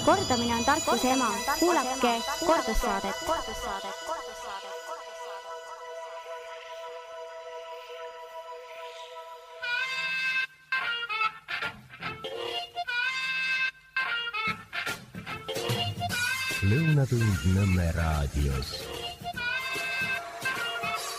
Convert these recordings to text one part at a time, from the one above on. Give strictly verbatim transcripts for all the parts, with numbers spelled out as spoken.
Kordamine on tarkuse ema. Kuulake kordussaadet. Lõunatund Nõmme raadios.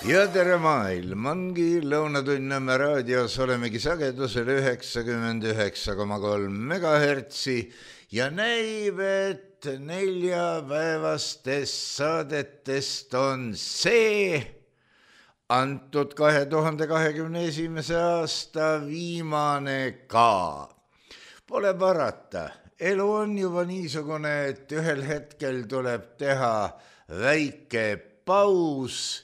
Ja tere maailm, ongi Lõunatund Nõmme raadios, olemegi sagedusel üheksakümmend üheksa koma kolm megahertsi ja näib, et neljapäevastest saadetest on see antud kahe tuhande kahekümne esimese aasta viimane ka. Pole parata. Elu on juba niisugune, et ühel hetkel tuleb teha väike paus,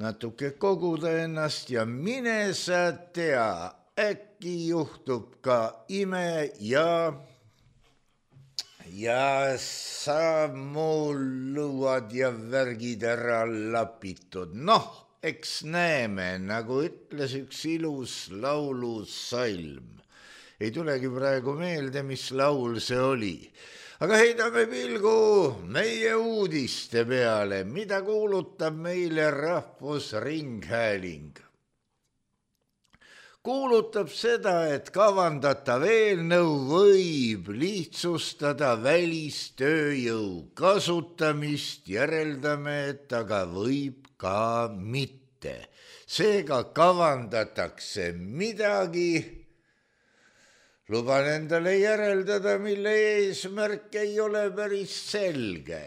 natuke koguda ennast ja mine sa tea, äkki juhtub ka ime ja, ja sa mul luuad ja värgid ära lapitud. Noh, eks näeme, nagu ütles üks ilus laulusalm. Ei tulegi praegu meelde, mis laul see oli. Aga heidame pilgu meie uudiste peale, mida kuulutab meile Rahvusringhääling. Kuulutab seda, et kavandatav eelnõu võib lihtsustada välistööjõu kasutamist, järeldame, et aga võib ka mitte. Seega kavandatakse midagi, luban endale järeldada, mille eesmärk ei ole päris selge.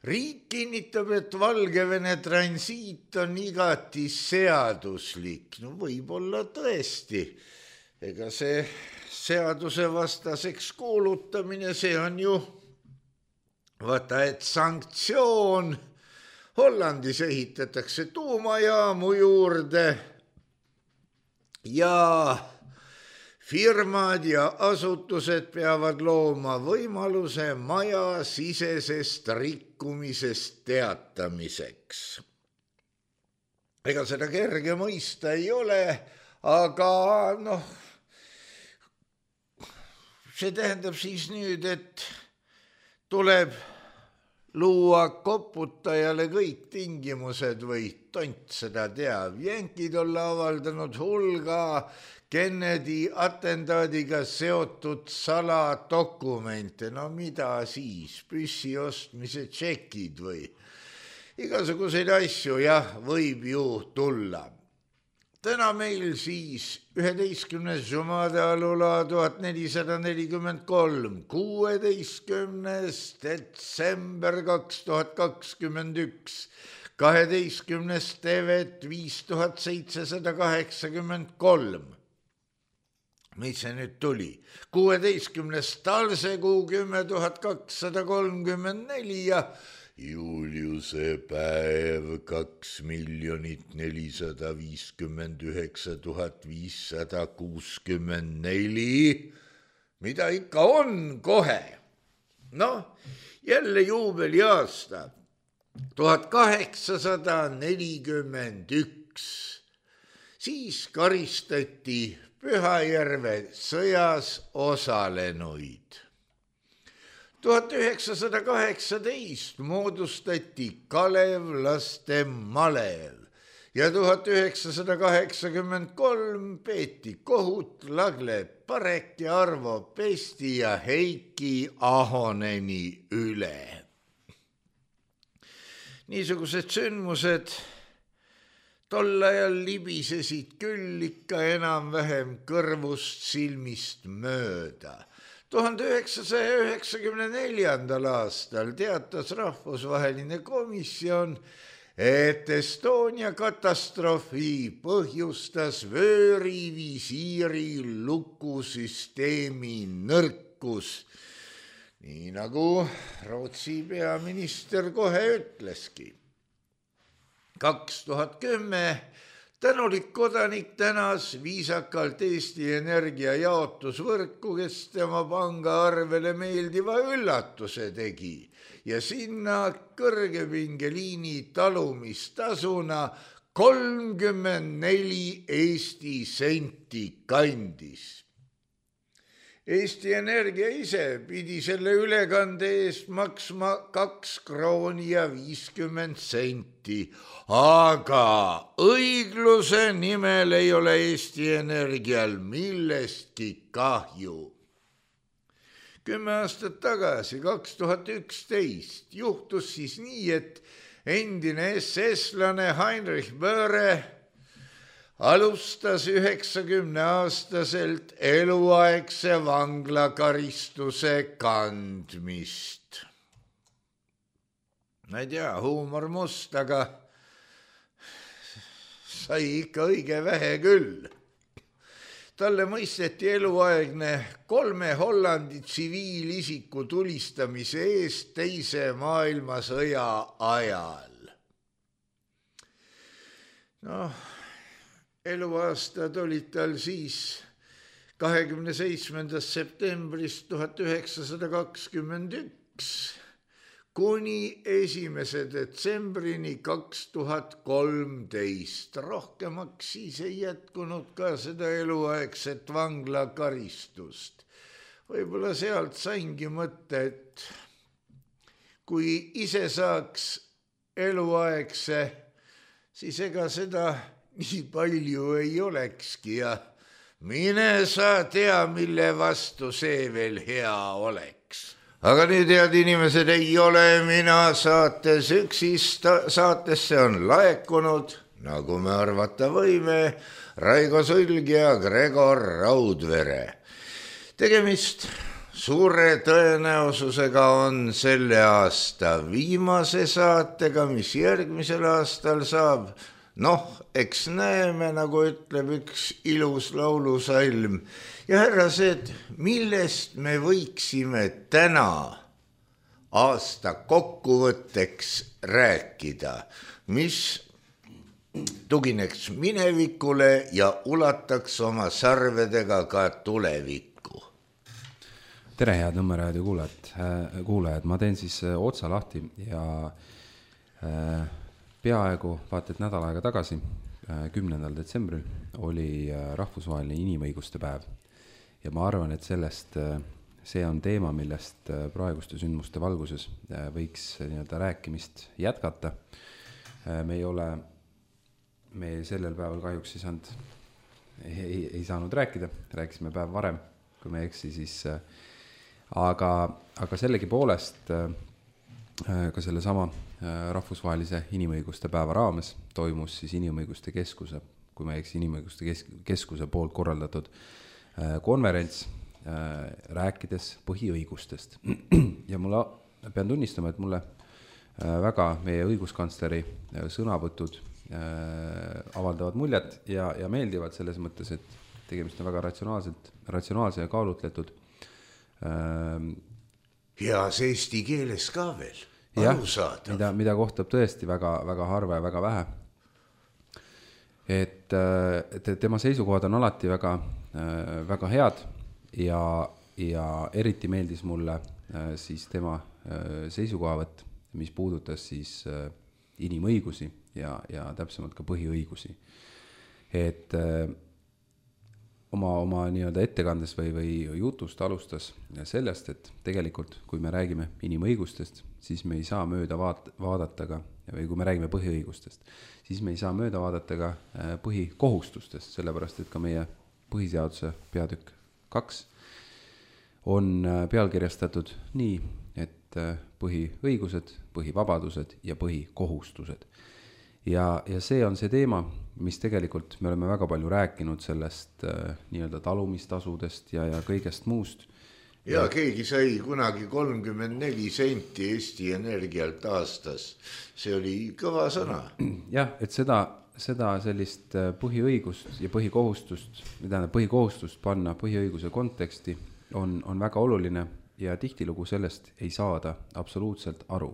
Riik kinnitab, et Valgevene transiit on igati seaduslik. No võib-olla tõesti. Ega see seaduse vastaseks kuulutamine, see on ju vaata, et sanktsioon. Hollandis ehitatakse tuumajaamu juurde ja firmad ja asutused peavad looma võimaluse maja sisesest rikkumisest teatamiseks. Ega seda kerge mõista ei ole, aga noh, see tähendab siis nüüd, et tuleb luua koputajale kõik tingimused või tont seda teab. Jänkid olla avaldanud hulga Kennedy atendaadiga seotud saladokumente. No mida siis? Püssi ostmise tšekid või? Igasuguseid asju, jah, võib ju tulla. Täna meil siis üheteistkümnes Jumada alula tuhat nelisada nelikümmend kolm, kuueteistkümnes detsember kaks tuhat kakskümmend üks, kaheteistkümnes Tevet viis tuhat seitsesada kaheksakümmend kolm. Mis see nüüd tuli? kuueteistkümnes Talsekuu kümme tuhat kakssada kolmkümmend neli ja Juliuse päev kaks miljonit nelisada viiskümmend üheksa tuhat viissada kuuskümmend neli. Mida ikka on kohe? Noh, jälle juubeliaasta tuhat kaheksasada nelikümmend üks. Siis karistati Pühajärve sõjas osalenuid. tuhat üheksasada kaheksateist moodustati Kalevlaste malev ja tuhat üheksasada kaheksakümmend kolm peeti kohut Lagle Parek ja Arvo Pesti ja Heiki Ahoneni üle. Niisugused sündmused tol ajal libisesid küll ikka enam-vähem kõrvust silmist mööda. tuhande üheksasaja üheksakümne neljandal aastal teatas rahvusvaheline komisjon, et Estonia katastroofi põhjustas vöörivisiiri lukusüsteemi nõrkus. Nii nagu Rootsi peaminister kohe ütleski. kaks tuhat kümme tänulik kodanik tänas viisakalt Eesti Energia jaotusvõrku, kes tema pangaarvele meeldiva üllatuse tegi ja sinna kõrgepingeliini talumistasuna kolmkümmend neli Eesti senti kandis. Eesti Energia ise pidi selle ülekande eest maksma kaks krooni ja viiskümmend senti, aga õigluse nimel ei ole Eesti Energial millestki kahju. Kümme aastat tagasi, kaks tuhat üksteist, juhtus siis nii, et endine S S-lane Heinrich Böhre alustas üheksakümne aastaselt eluaegse vanglakaristuse kandmist. Ma ei tea, huumor must, aga sai ikka õige vähe küll. Talle mõisteti eluaegne kolme Hollandi tsiviilisiku tulistamise eest teise maailmasõja ajal. Noh, eluaastad olid tal siis kahekümne seitsmendast septembrist tuhat üheksasada kakskümmend üks kuni esimese detsembrini kaks tuhat kolmteist. Rohkemaks siis ei jätkunud ka seda eluaegset vanglakaristust. Võib-olla sealt saingi mõtte, et kui ise saaks eluaegse, siis ega seda nii palju ei olekski ja mine sa tea, mille vastu see veel hea oleks. Aga nüüd, head inimesed, ei ole mina saates üksist, saatesse on laekunud, nagu me arvata võime, Raigo Sulg ja Gregor Raudvere. Tegemist suure tõenäosusega on selle aasta viimase saatega, mis järgmisel aastal saab. Noh, eks näeme, nagu ütleb üks ilus laulusalm. Ja härrased, millest me võiksime täna aasta kokkuvõtteks rääkida, mis tugineks minevikule ja ulataks oma sarvedega ka tulevikku? Tere, head Nõmme raadio kuulajad, kuulajad. Ma teen siis otsa lahti ja peaaegu vaata, et nädal aega tagasi, kümnendal detsembril, oli rahvusvaheline inimõiguste päev. Ja ma arvan, et sellest see on teema, millest praeguste sündmuste valguses võiks nii-öelda rääkimist jätkata. Me ei ole, me sellel päeval kahjuks ei saanud, ei, ei saanud rääkida, rääkisime päev varem, kui me eksi, siis aga, aga sellegi poolest ka selle sama rahvusvahelise inimõiguste päeva raames toimus siis inimõiguste keskuse, kui me eks inimõiguste keskuse poolt korraldatud konverents rääkides põhiõigustest. Ja mulle, pean tunnistama, et mulle väga meie õiguskantsleri sõnavõtud avaldavad muljet ja, ja meeldivad selles mõttes, et tegemist on väga ratsionaalselt, ratsionaalse ja kaalutletud. Heas eesti keeles ka veel. Jah, mida, mida kohtab tõesti väga, väga harva ja väga vähe. Et, et tema seisukohad on alati väga, väga head ja, ja eriti meeldis mulle siis tema seisukohavõtt, mis puudutas siis inimõigusi ja, ja täpsemalt ka põhiõigusi. Et oma, oma nii-öelda ettekandes või, või jutust alustas sellest, et tegelikult, kui me räägime inimõigustest, siis me ei saa mööda vaat, vaadata ka, või kui me räägime põhiõigustest, siis me ei saa mööda vaadata ka põhikohustustest, sellepärast, et ka meie põhiseaduse peatükk kaks on pealkirjastatud nii, et põhiõigused, põhivabadused ja põhikohustused. Ja, ja see on see teema, mis tegelikult me oleme väga palju rääkinud sellest äh, nii-öelda talumistasudest ja, ja kõigest muust. Ja keegi sai kunagi kolmkümmend neli senti Eesti Energialt aastas. See oli kõva sõna. Jah, et seda, seda sellist põhiõigust ja põhikohustust, mida põhikohustust panna põhiõiguse konteksti on, on väga oluline ja tihtilugu sellest ei saada absoluutselt aru.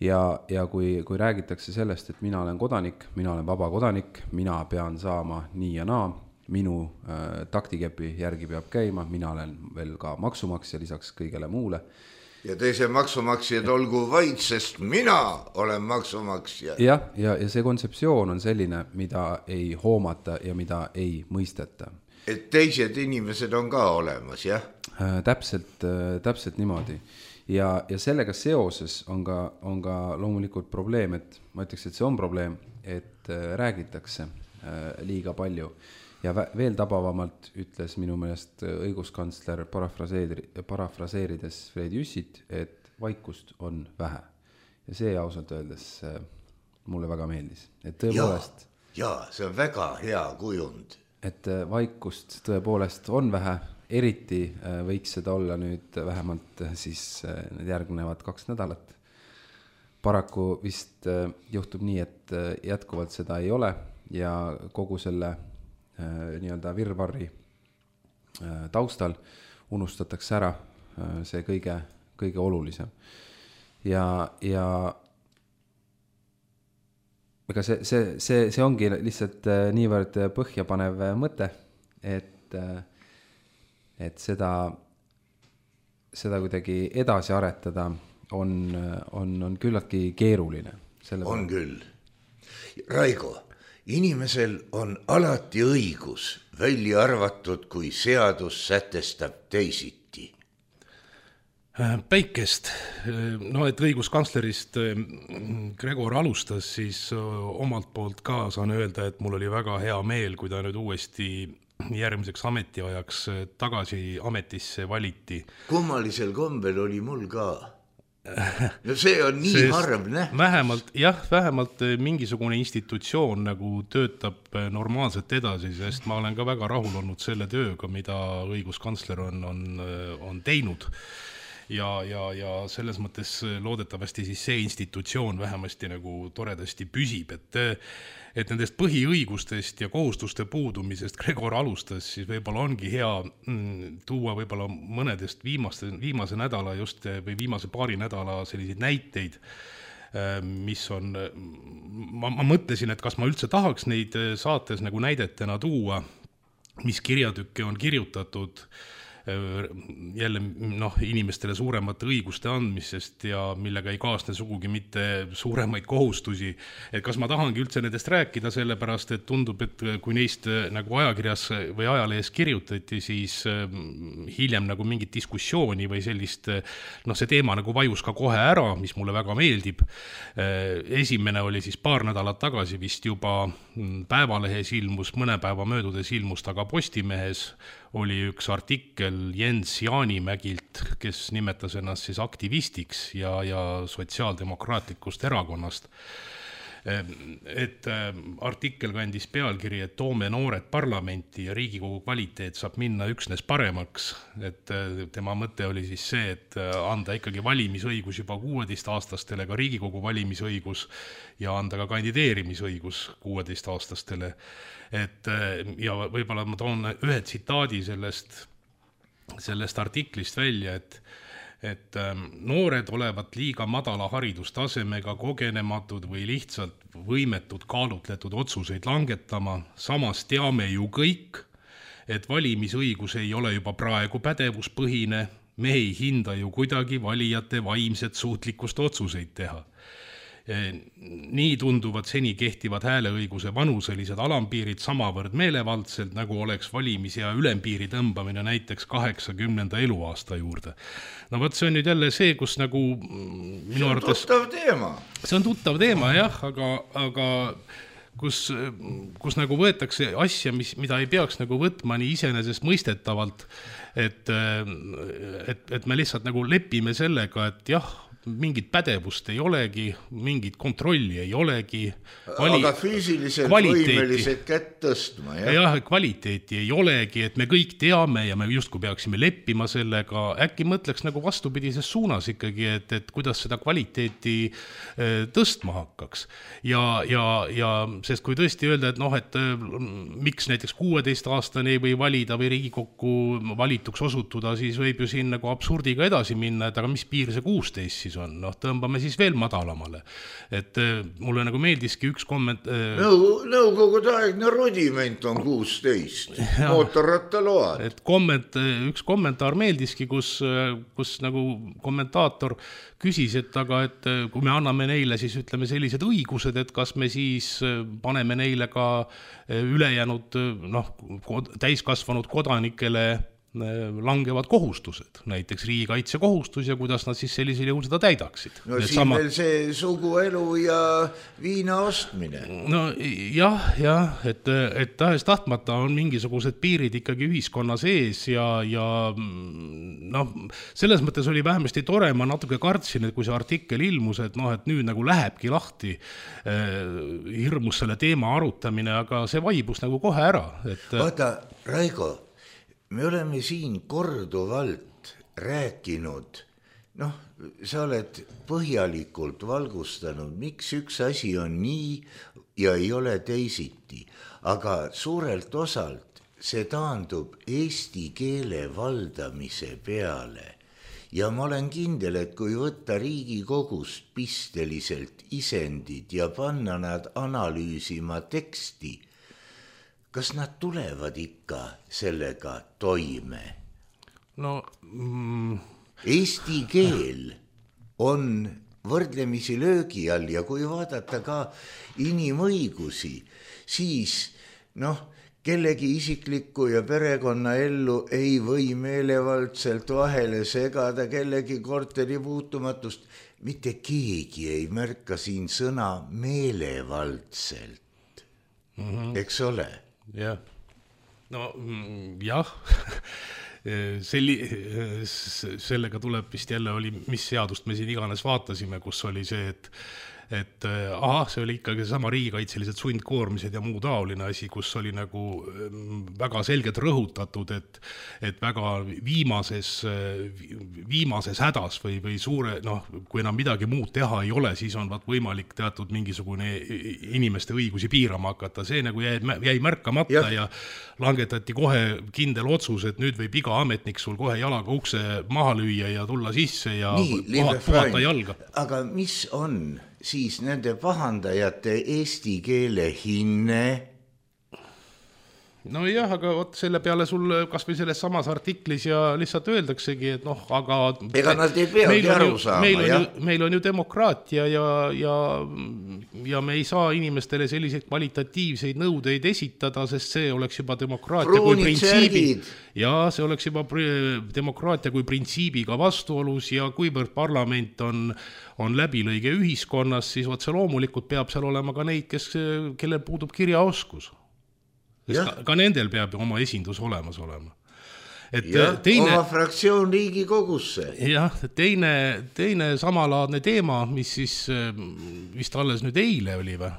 Ja, ja kui, kui räägitakse sellest, et mina olen kodanik, mina olen vaba kodanik, mina pean saama nii ja naa, minu äh, taktikepi järgi peab käima, mina olen veel ka maksumaksja lisaks kõigele muule, ja teise maksumaksjad olgu vaid, sest mina olen maksumaksja. jah, ja, ja see kontseptsioon on selline, mida ei hoomata ja mida ei mõisteta. Et teised inimesed on ka olemas, jah? Äh, täpselt, äh, täpselt niimoodi. Ja, ja sellega seoses on ka, on ka loomulikult probleem, et ma ütleks, et see on probleem, et äh, räägitakse äh, liiga palju. Ja vä- veel tabavamalt ütles minu meelest õiguskantsler parafraseeri, parafraseerides Fred Jüssit, et vaikust on vähe. Ja see ausalt öeldes äh, mulle väga meeldis. Et tõepoolest, ja, ja, see on väga hea kujund. Et äh, vaikust tõepoolest on vähe. Eriti võiks seda olla nüüd vähemalt siis need järgnevad kaks nädalat. Paraku vist juhtub nii, et jätkuvalt seda ei ole ja kogu selle nii-öelda virvarri taustal unustatakse ära see kõige, kõige olulisem. Ja, ja ega see, see, see, see ongi lihtsalt niivõrd põhjapanev mõte, et et seda, seda kuidagi edasi aretada on, on, on küllaltki keeruline. On küll. Raigo, inimesel on alati õigus, välja arvatud, kui seadus sätestab teisiti. Päikest, no et õiguskantslerist Gregor alustas, siis omalt poolt ka saan öelda, et mul oli väga hea meel, kui ta nüüd uuesti järgmiseks ametiajaks tagasi ametisse valiti. Kummalisel kombel oli mul ka. No see on nii Sest harv nähtus. Vähemalt, jah, vähemalt mingisugune institutsioon nagu töötab normaalselt edasi, sest ma olen ka väga rahul olnud selle tööga, mida õiguskantsler on, on, on teinud. Ja, ja, ja selles mõttes loodetavasti siis see institutsioon vähemasti nagu toredasti püsib, et et nendest põhiõigustest ja kohustuste puudumisest Gregor alustas, siis võib-olla ongi hea mm, tuua võib-olla mõnedest viimaste, viimase nädala just või viimase paari nädala selliseid näiteid, mis on, ma, ma mõtlesin, et kas ma üldse tahaks neid saates nagu näidetena tuua, mis kirjatükke on kirjutatud jälle noh, inimestele suuremate õiguste andmisest ja millega ei kaasne sugugi mitte suuremaid kohustusi. Et kas ma tahangi üldse nendest rääkida, sellepärast, et tundub, et kui neist nagu ajakirjas või ajalehes kirjutati, siis hiljem nagu mingit diskussiooni või sellist, noh see teema nagu vajus ka kohe ära, mis mulle väga meeldib. Esimene oli siis paar nädalat tagasi vist juba Päevalehes ilmus, mõne päeva möödudes ilmus taga Postimehes, oli üks artikkel Jens Jaanimägilt, kes nimetas ennast siis aktivistiks ja, ja sotsiaaldemokraatlikust erakonnast. Et artikkel kandis pealkiri, et toome noored parlamenti ja Riigikogu kvaliteet saab minna üksnes paremaks. Et tema mõte oli siis see, et anda ikkagi valimisõigus juba kuueteistaastastele, ka Riigikogu valimisõigus ja anda ka kandideerimisõigus kuueteistaastastele. Et, ja võib-olla ma toon ühe tsitaadi sellest, sellest artiklist välja, et et noored olevat liiga madala haridustasemega, kogenematud või lihtsalt võimetud kaalutletud otsuseid langetama. Samas teame ju kõik, et valimisõigus ei ole juba praegu pädevuspõhine. Me ei hinda ju kuidagi valijate vaimset suutlikkust otsuseid teha. Nii tunduvad seni kehtivad hääleõiguse vanuselised alampiirid samavõrd meelevaldselt, nagu oleks valimis- ja ülempiiri tõmbamine näiteks kaheksakümnenda eluaasta juurde. No võt, see on nüüd jälle see, kus nagu minu arvates... See on tuttav teema. See on tuttav teema, jah, aga, aga kus, kus nagu võetakse asja, mis, mida ei peaks nagu võtma nii iseenesest mõistetavalt, et, et, et me lihtsalt nagu lepime sellega, et jah, mingit pädevust ei olegi, mingit kontrolli ei olegi. Vali... Aga füüsiliselt võimelised kätt tõstma, jah? Jah, kvaliteeti ei olegi, et me kõik teame ja me justkui peaksime leppima sellega. Äkki mõtleks nagu vastupidises suunas ikkagi, et, et kuidas seda kvaliteeti tõstma hakkaks. Ja, ja, ja sest kui tõesti öelda, et noh, et miks näiteks kuueteistaastane ei või valida või Riigikokku valituks osutuda, siis võib ju siin nagu absurdiga edasi minna, et aga mis piir see kuusteist siis on, noh, tõmbame siis veel madalamale. Et mulle nagu meeldiski üks komment... Nõu, nõukogudeaegne rudiment on kuusteist, mootorrattaload. Et komment, üks kommentaar meeldiski, kus, kus nagu kommentaator küsis, et aga, et kui me anname neile siis ütleme sellised õigused, et kas me siis paneme neile ka ülejäänud, noh, täiskasvanud kodanikele langevad kohustused, näiteks riigikaitse kohustus ja kuidas nad siis sellisel juhul seda täidaksid. No Need siin sama... veel see suguelu ja viina ostmine. No jah, jah, et, et tahes tahtmata on mingisugused piirid ikkagi ühiskonna sees ja, ja noh, selles mõttes oli vähemasti tore, ma natuke kartsin, et kui see artikkel ilmus, et noh, et nüüd nagu lähebki lahti eh, hirmus selle teema arutamine, aga see vaibus nagu kohe ära. Et... Vaata, Raigo, me oleme siin korduvalt rääkinud, noh, sa oled põhjalikult valgustanud, miks üks asi on nii ja ei ole teisiti, aga suurelt osalt see taandub eesti keele valdamise peale. Ja ma olen kindel, et kui võtta Riigikogust pisteliselt isendid ja panna nad analüüsima teksti, kas nad tulevad ikka sellega toime? No, mm... Eesti keel on võrdlemisi löögi all ja kui vaadata ka inimõigusi, siis noh, kellegi isiklikku ja perekonna ellu ei või meelevaldselt vahele segada, kellegi korteri puutumatust. Mitte keegi ei märka siin sõna meelevaldselt, mm-hmm. eks ole? Jah, no jah, Selli, sellega tuleb vist jälle oli, mis seadust me siin iganes vaatasime, kus oli see, et et aha, see oli ikkagi sama riigikaitselised sundkoormised ja muu taoline asi, kus oli nagu väga selgelt rõhutatud, et, et väga viimases, viimases hädas või, või suure, noh, kui enam midagi muud teha ei ole, siis on vaat võimalik teatud mingisugune inimeste õigusi piirama hakata. See nagu jäi, jäi märkamata ja. ja langetati kohe kindel otsus, et nüüd võib iga ametnik sul kohe jalaga ukse maha lüüa ja tulla sisse ja Nii, puhata jalga. Aga mis on siis nende pahandajate eesti keele hinne? No jah, aga võt selle peale sul kas või selles samas artiklis ja lihtsalt öeldaksegi, et noh, aga ega nad ei peagi aru saama, meil on, jah? Ju, meil on ju demokraatia ja, ja, ja me ei saa inimestele selliseid kvalitatiivseid nõudeid esitada, sest see oleks juba demokraatia Pruunid kui printsiibi. Ja see oleks juba demokraatia kui printsiibiga vastuolus ja kuivõrd parlament on, on läbilõige ühiskonnas, siis otse loomulikult peab seal olema ka neid, kes, kellel puudub kirjaoskus. Ka, ka nendel peab oma esindus olemas olema. Et ja, teine, oma fraktsioon Riigikogusse. Jah, teine, teine samalaadne teema, mis siis vist alles nüüd eile oli või,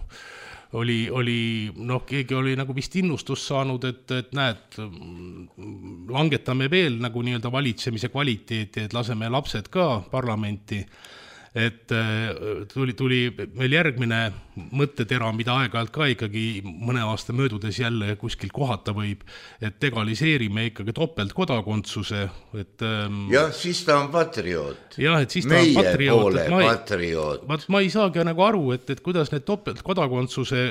oli, oli noh, keegi oli nagu vist innustus saanud, et, et näed, langetame veel nagu nii-öelda valitsemise kvaliteeti, et laseme lapsed ka parlamenti. Et tuli, tuli meil järgmine mõttetera, mida aeg-ajalt ka ikkagi mõne aasta möödudes jälle kuskil kohata võib, et legaliseerime ikkagi topeltkodakondsuse. Et, jah, siis ta on patrioot. Jah, et siis ta Meie on patrioot. poole ma ei, patrioot. Ma, ma ei saagi nagu aru, et, et kuidas need topeltkodakondsuse,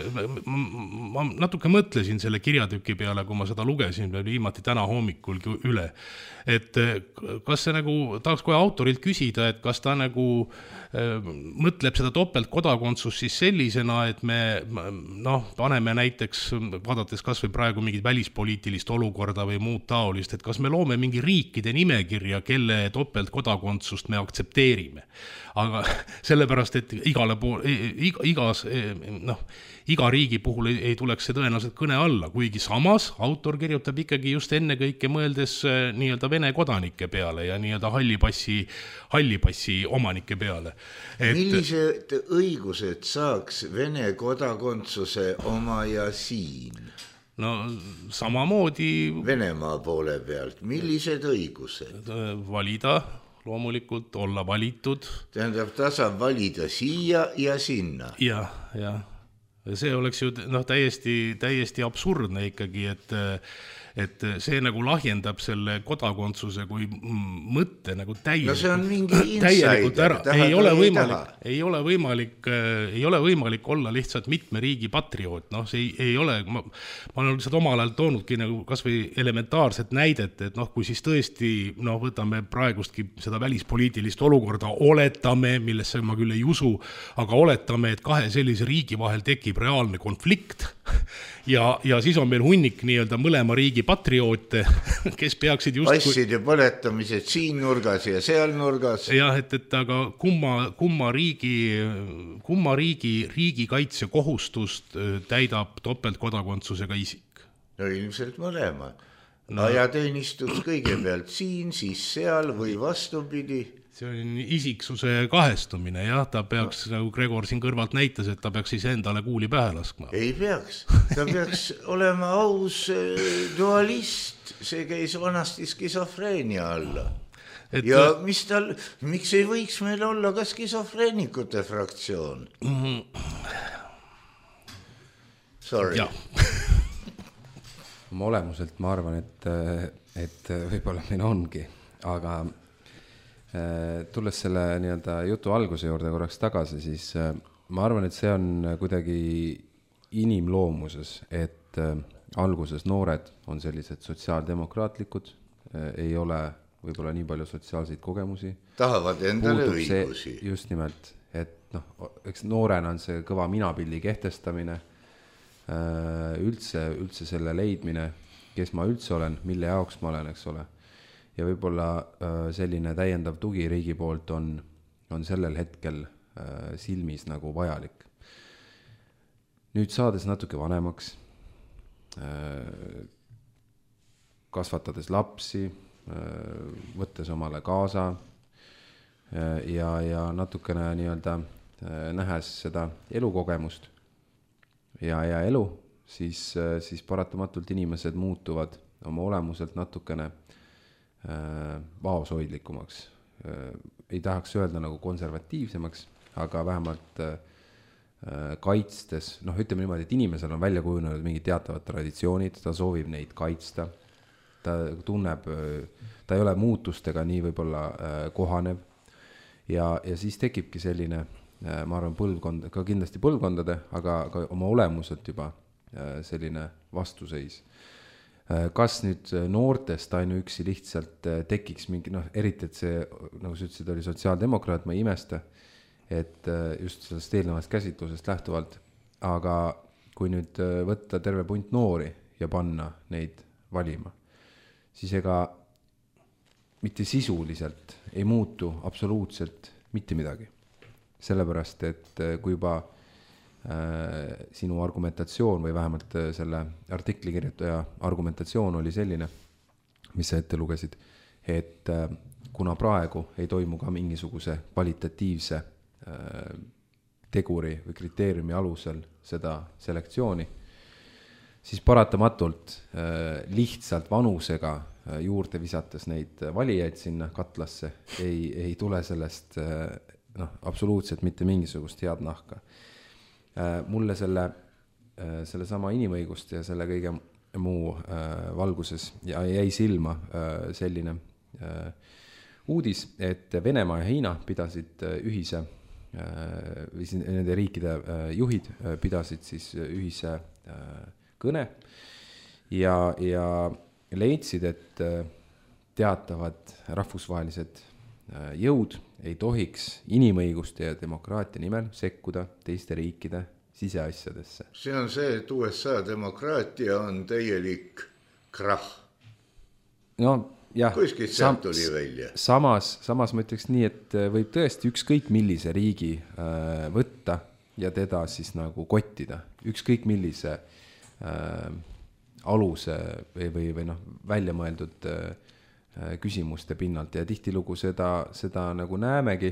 ma, ma natuke mõtlesin selle kirjatüki peale, kui ma seda lugesin viimati täna hommikul üle. Et kas see nagu, tahaks kohe autorilt küsida, et kas ta nagu mõtleb seda topeltkodakondsust siis sellisena, et me noh, paneme näiteks, vaadates kas või praegu mingit välispoliitilist olukorda või muud taolist, et kas me loome mingi riikide nimekirja, kelle topeltkodakondsust me aktsepteerime. Aga sellepärast, et igale pool, igas, noh, iga riigi puhul ei, ei tuleks see tõenäoliselt kõne alla, kuigi samas autor kirjutab ikkagi just enne kõike mõeldes nii-öelda Vene kodanike peale ja nii-öelda hallipassi, hallipassi omanike peale. Et... millised õigused saaks Vene kodakondsuse oma ja siin? No samamoodi... Venemaa poole pealt, millised õigused? Valida, loomulikult, olla valitud. Tähendab, ta saab valida siia ja sinna. Jah, jah. see oleks ju noh, täiesti, täiesti absurdne ikkagi, et et see nagu lahjendab selle kodakondsuse kui mõtte nagu täielikult, no see on mingi insider, ei ole võimalik, ei ole võimalik, ei ole võimalik olla lihtsalt mitme riigi patrioot, noh, see ei, ei ole, ma, ma olen lihtsalt omal ajal toonudki nagu kas või elementaarset näidet, et noh, kui siis tõesti, noh, võtame praegustki seda välispoliitilist olukorda, oletame, millesse ma küll ei usu, aga oletame, et kahe sellise riigi vahel tekib reaalne konflikt ja, ja siis on meil hunnik nii-öelda mõlema riigi patrioote, kes peaksid just passide põletamised siin nurgas ja seal nurgas. Jah, et, et aga kumma, kumma riigi, kumma riigi riigikaitse kohustust täidab topeltkodakondsusega isik? No ilmselt mõlema. No. Ajateenistus kõigepealt siin, siis seal või vastupidi. See on isiksuse kahestumine, jah, ta peaks, nagu Gregor siin kõrvalt näitas, et ta peaks siis endale kuuli pähe laskma. Ei peaks, ta peaks olema aus dualist, see käis vanasti skisofreenia alla. Et, ja mis tal, miks ei võiks meil olla ka skisofreenikute fraktsioon? Sorry. Ma olemuselt ma arvan, et, et võib-olla meil ongi, aga tulles selle nii-öelda jutu alguse juurde korraks tagasi, siis ma arvan, et see on kuidagi inimloomuses, et alguses noored on sellised sotsiaaldemokraatlikud, ei ole võib-olla nii palju sotsiaalseid kogemusi. Tahavad endale õigusi. Just nimelt, et noh, eks noorena on see kõva minapildi kehtestamine, üldse, üldse selle leidmine, kes ma üldse olen, mille jaoks ma olen, eks ole. Ja võib-olla selline täiendav tugi riigi poolt on, on sellel hetkel silmis nagu vajalik. Nüüd saades natuke vanemaks, kasvatades lapsi, võttes omale kaasa ja, ja natukene nii-öelda nähes seda elukogemust ja, ja elu, siis, siis paratamatult inimesed muutuvad oma olemuselt natukene vaoshoidlikumaks. Ei tahaks öelda nagu konservatiivsemaks, aga vähemalt kaitstes, noh ütleme niimoodi, et inimesel on välja kujunenud mingid teatavad traditsioonid, ta soovib neid kaitsta, ta tunneb, ta ei ole muutustega nii võib-olla kohanev ja, ja siis tekibki selline, ma arvan, põlvkond, ka kindlasti põlvkondade, aga ka oma olemuselt juba selline vastuseis. Kas nüüd noortest ainuüksi lihtsalt tekiks mingi, noh, eriti, et see, nagu sa ütlesid, oli sotsiaaldemokraat, ma ei imesta, et just sellest eelnevast käsitlusest lähtuvalt, aga kui nüüd võtta terve punt noori ja panna neid valima, siis ega mitte sisuliselt ei muutu absoluutselt mitte midagi. Sellepärast, et kui juba sinu argumentatsioon või vähemalt selle artikli kirjutaja argumentatsioon oli selline, mis sa ette lugesid, et kuna praegu ei toimu ka mingisuguse kvalitatiivse teguri või kriteeriumi alusel seda selektsiooni, siis paratamatult lihtsalt vanusega juurde visates neid valijaid sinna katlasse ei, ei tule sellest noh, absoluutselt mitte mingisugust head nahka. Mulle selle, selle sama inimõiguste ja selle kõige muu valguses ja jäi silma selline uudis, et Venemaa ja Hiina pidasid ühise, nende riikide juhid pidasid siis ühise kõne ja, ja leidsid, et teatavad rahvusvahelised jõud ei tohiks inimõiguste ja demokraatia nimel sekkuda teiste riikide siseasjadesse. See on see, et U S A demokraatia on täielik krahh. No jah, kuskilt sealt tuli välja. Samas, samas ma ütleks nii, et võib tõesti ükskõik millise riigi äh, võtta ja teda siis nagu kottida. Ükskõik millise äh, aluse või, või, või noh, välja mõeldud äh, küsimuste pinnalt ja tihtilugu seda, seda nagu näemegi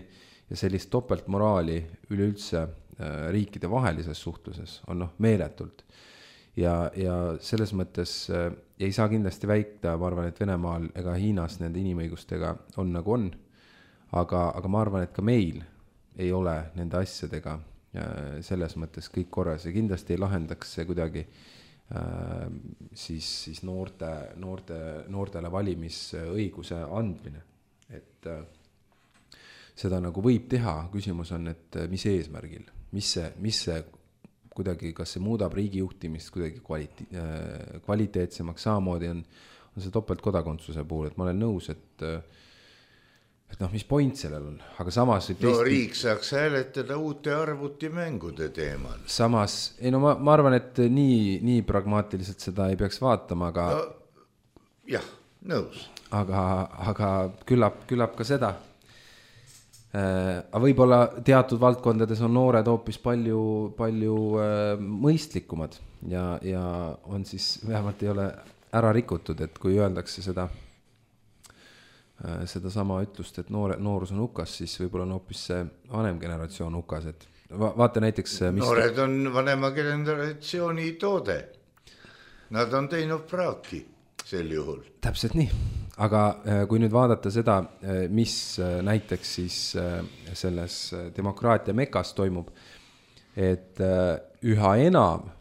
ja sellist topeltmoraali üleüldse riikide vahelises suhtluses on noh meeletult. Ja, ja selles mõttes ei saa kindlasti väita, ma arvan, et Venemaal ega Hiinas nende inimõigustega on nagu on, aga, aga ma arvan, et ka meil ei ole nende asjadega selles mõttes kõik korras ja kindlasti ei lahendaks see kuidagi äh, siis, siis noorte, noorte, noortele valimisõiguse andmine, et äh, seda nagu võib teha, küsimus on, et mis eesmärgil, mis see, mis see kuidagi, kas see muudab riigi juhtimist kuidagi kvaliti, äh, kvaliteetsemaks, samamoodi on, on see topeltkodakondsuse puhul, et ma olen nõus, et et noh, mis point sellel on, aga samas no teist... riik saaks hääletada uute arvutimängude teemal. Samas, ei no ma, ma arvan, et nii, nii pragmaatiliselt seda ei peaks vaatama, aga no, jah, nõus. Aga, aga küllap, küllap ka seda. Aga võib-olla teatud valdkondades on noored hoopis palju, palju mõistlikumad ja, ja on siis, vähemalt ei ole ära rikutud, et kui öeldakse seda seda sama ütlust, et noore, noorus on hukas, siis võib-olla on hoopis see vanem generatsioon hukas, et va, vaata näiteks mis... noored on vanema generatsiooni toode. Nad on teinud praaki sel juhul. Täpselt nii, aga kui nüüd vaadata seda, mis näiteks siis selles demokraatia mekas toimub, et üha enam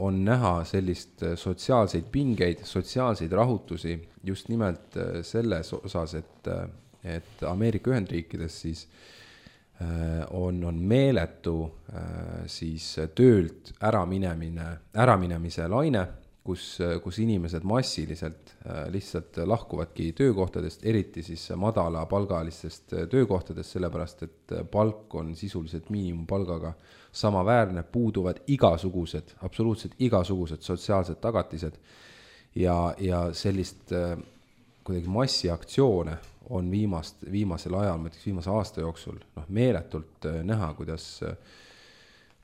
on näha sellist sotsiaalseid pingeid, sotsiaalseid rahutusi just nimelt selles osas, et, et Ameerika Ühendriikides siis on, on meeletu siis töölt äraminemine, äraminemise laine, kus, kus inimesed massiliselt lihtsalt lahkuvadki töökohtadest, eriti siis madala palgalistest töökohtadest, sellepärast et palk on sisuliselt miinimumpalgaga samaväärne, puuduvad igasugused, absoluutselt igasugused sotsiaalsed tagatised ja, ja sellist äh, kuidagi massiaktsioone on viimast, viimasel ajal, ma ütleks viimase aasta jooksul, noh, meeletult äh, näha, kuidas, äh,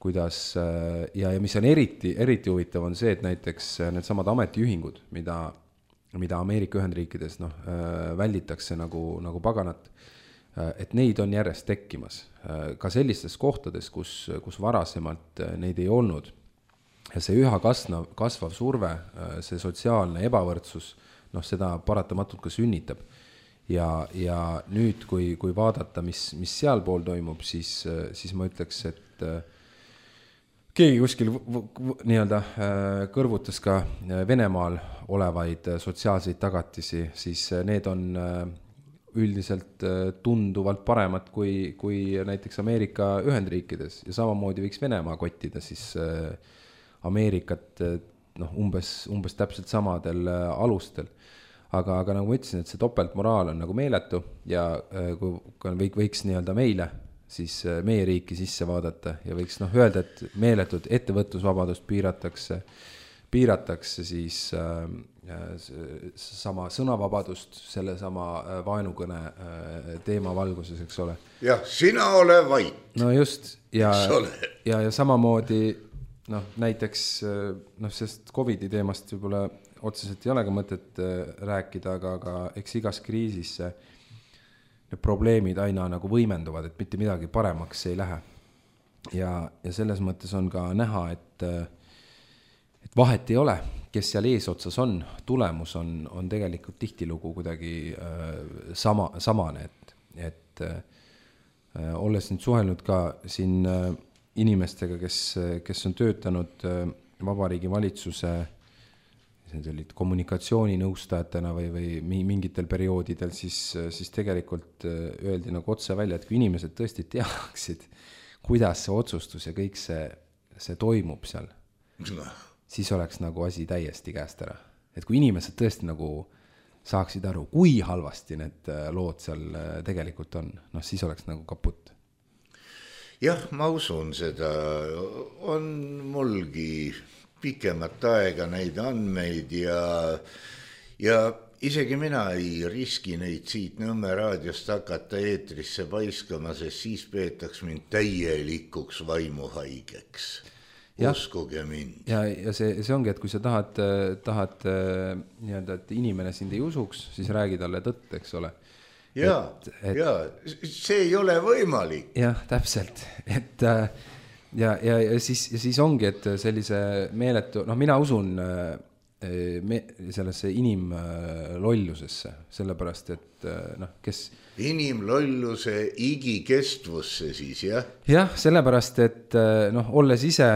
kuidas äh, ja, ja mis on eriti, eriti huvitav on see, et näiteks need samad ametiühingud, mida, mida Ameerika Ühendriikides noh, äh, välditakse nagu, nagu paganat, et neid on järjest tekkimas ka sellistes kohtades, kus, kus varasemalt neid ei olnud. Ja see üha kasvav, kasvav surve, see sotsiaalne ebavõrdsus, noh, seda paratamatult ka sünnitab. Ja, ja nüüd, kui, kui vaadata, mis, mis seal pool toimub, siis, siis ma ütleks, et keegi kuskil nii-öelda kõrvutas ka Venemaal olevaid sotsiaalseid tagatisi, siis need on üldiselt tunduvalt paremad kui, kui näiteks Ameerika Ühendriikides ja samamoodi võiks Venemaa kottida siis Ameerikat noh, umbes, umbes täpselt samadel alustel. Aga, aga nagu ma ütlesin, et see topeltmoraal on nagu meeletu ja kui võiks nii-öelda meile, siis meie riiki sisse vaadata ja võiks noh, öelda, et meeletud ettevõtlusvabadust piiratakse, piiratakse siis äh, sama sõnavabadust, selle sama vaenukõne teema valguses, eks ole. Jah, sina ole vait. No just, ja, ja, ja samamoodi, noh, näiteks, noh, sest Covidi teemast võib-olla otseselt ei ole ka mõtet rääkida, aga, aga eks igas kriisis need probleemid aina nagu võimenduvad, et mitte midagi paremaks ei lähe. Ja, ja selles mõttes on ka näha, et, et vahet ei ole, kes seal eesotsas on, tulemus on, on tegelikult tihtilugu kuidagi äh, sama, samane, et, et äh, olles nüüd suhelnud ka siin äh, inimestega, kes, kes on töötanud äh, Vabariigi Valitsuse kommunikatsiooninõustajatena või, või mingitel perioodidel, siis, siis tegelikult äh, öeldi nagu otse välja, et kui inimesed tõesti teaksid, kuidas see otsustus ja kõik see, see toimub seal, siis oleks nagu asi täiesti käest ära. Et kui inimesed tõesti nagu saaksid aru, kui halvasti need lood seal tegelikult on, noh siis oleks nagu kaput. Jah, ma usun seda. On mulgi pikemat aega neid andmeid ja, ja isegi mina ei riski neid siit Nõmme raadiost hakata eetrisse paiskama, sest siis peetaks mind täielikuks vaimuhaigeks. Uskuge mind. Ja, ja see, see ongi, et kui sa tahad, tahad nii-öelda, et inimene sind ei usuks, siis räägi talle tõtt, eks ole. Ja, et, et, ja, see ei ole võimalik. Jah, täpselt. Et, ja, ja, ja, siis, ja siis ongi, et sellise meeletu, noh mina usun me, sellesse inimlollusesse, sellepärast et noh, kes inimlolluse igikestvusse siis, jah? Jah, sellepärast, et noh, olles ise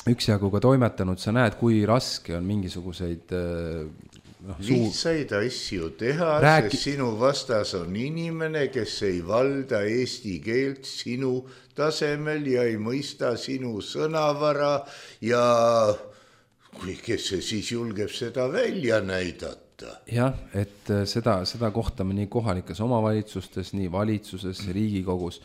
üksjagu ka toimetanud, sa näed, kui raske on mingisuguseid noh, lihtsaid asju teha, Rääki... sest sinu vastas on inimene, kes ei valda eesti keelt sinu tasemel ja ei mõista sinu sõnavara ja kui kes see siis julgeb seda välja näidata. Jah, et seda, seda kohtame nii kohalikes omavalitsustes, nii valitsuses, Riigikogus.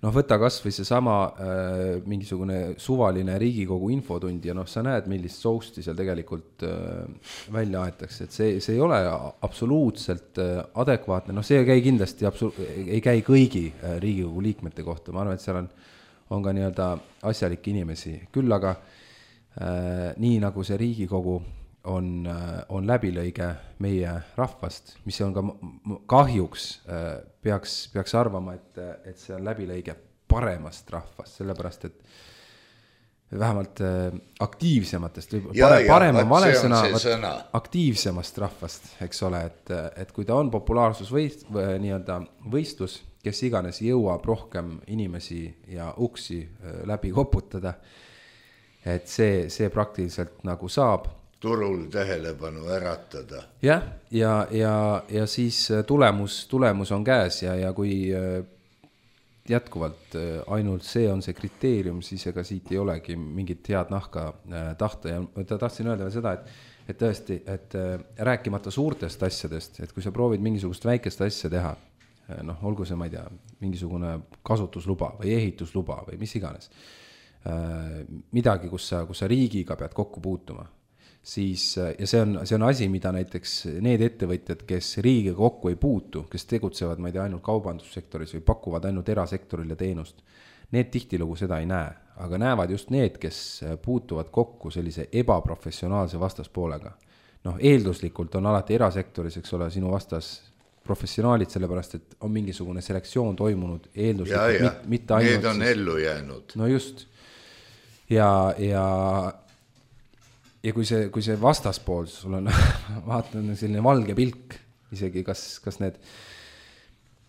Noh, võta kas või see sama äh, mingisugune suvaline Riigikogu infotund ja noh, sa näed, millist sousti seal tegelikult äh, välja aetakse, et see, see ei ole absoluutselt äh, adekvaatne, noh, see ei käi kindlasti, absolu- ei käi kõigi äh, Riigikogu liikmete kohta, ma arvan, et seal on, on ka nii-öelda asjalikke inimesi, küll aga äh, nii nagu see Riigikogu on, äh, on läbilõige meie rahvast, mis on ka kahjuks äh, peaks, peaks arvama, et, et see on läbilõige paremast rahvast, sellepärast et vähemalt äh, aktiivsematest, ja, pare, parem on vale sõna, sõna, aktiivsemast rahvast, eks ole, et, et kui ta on populaarsusvõist, või, nii-öelda võistlus, kes iganes jõuab rohkem inimesi ja uksi äh, läbi koputada, et see, see praktiliselt nagu saab turul tähelepanu äratada. Jah, ja, ja, ja siis tulemus, tulemus on käes ja, ja kui jätkuvalt ainult see on see kriteerium, siis ega siit ei olegi mingit head nahka tahta ja ta tahtsin öelda seda, et, et tõesti, et rääkimata suurtest asjadest, et kui sa proovid mingisugust väikest asja teha, noh, olgu see, ma ei tea, mingisugune kasutusluba või ehitusluba või mis iganes, midagi, kus sa, kus sa riigiga pead kokku puutuma, siis, ja see on, see on asi, mida näiteks need ettevõtjad, kes riigiga kokku ei puutu, kes tegutsevad, ma ei tea, ainult kaubandussektoris või pakuvad ainult erasektorile teenust, need tihtilugu seda ei näe, aga näevad just need, kes puutuvad kokku sellise ebaprofessionaalse vastaspoolega. Noh, eelduslikult on alati erasektoris, eks ole, sinu vastas professionaalid, sellepärast, et on mingisugune selektsioon toimunud eelduslikult, ja, ja. Mit, mitte ainult. Need on siis, ellu jäänud. No just. Ja, ja Ja kui see, kui see vastaspool, sul on, vaatan selline valge pilk, isegi kas, kas need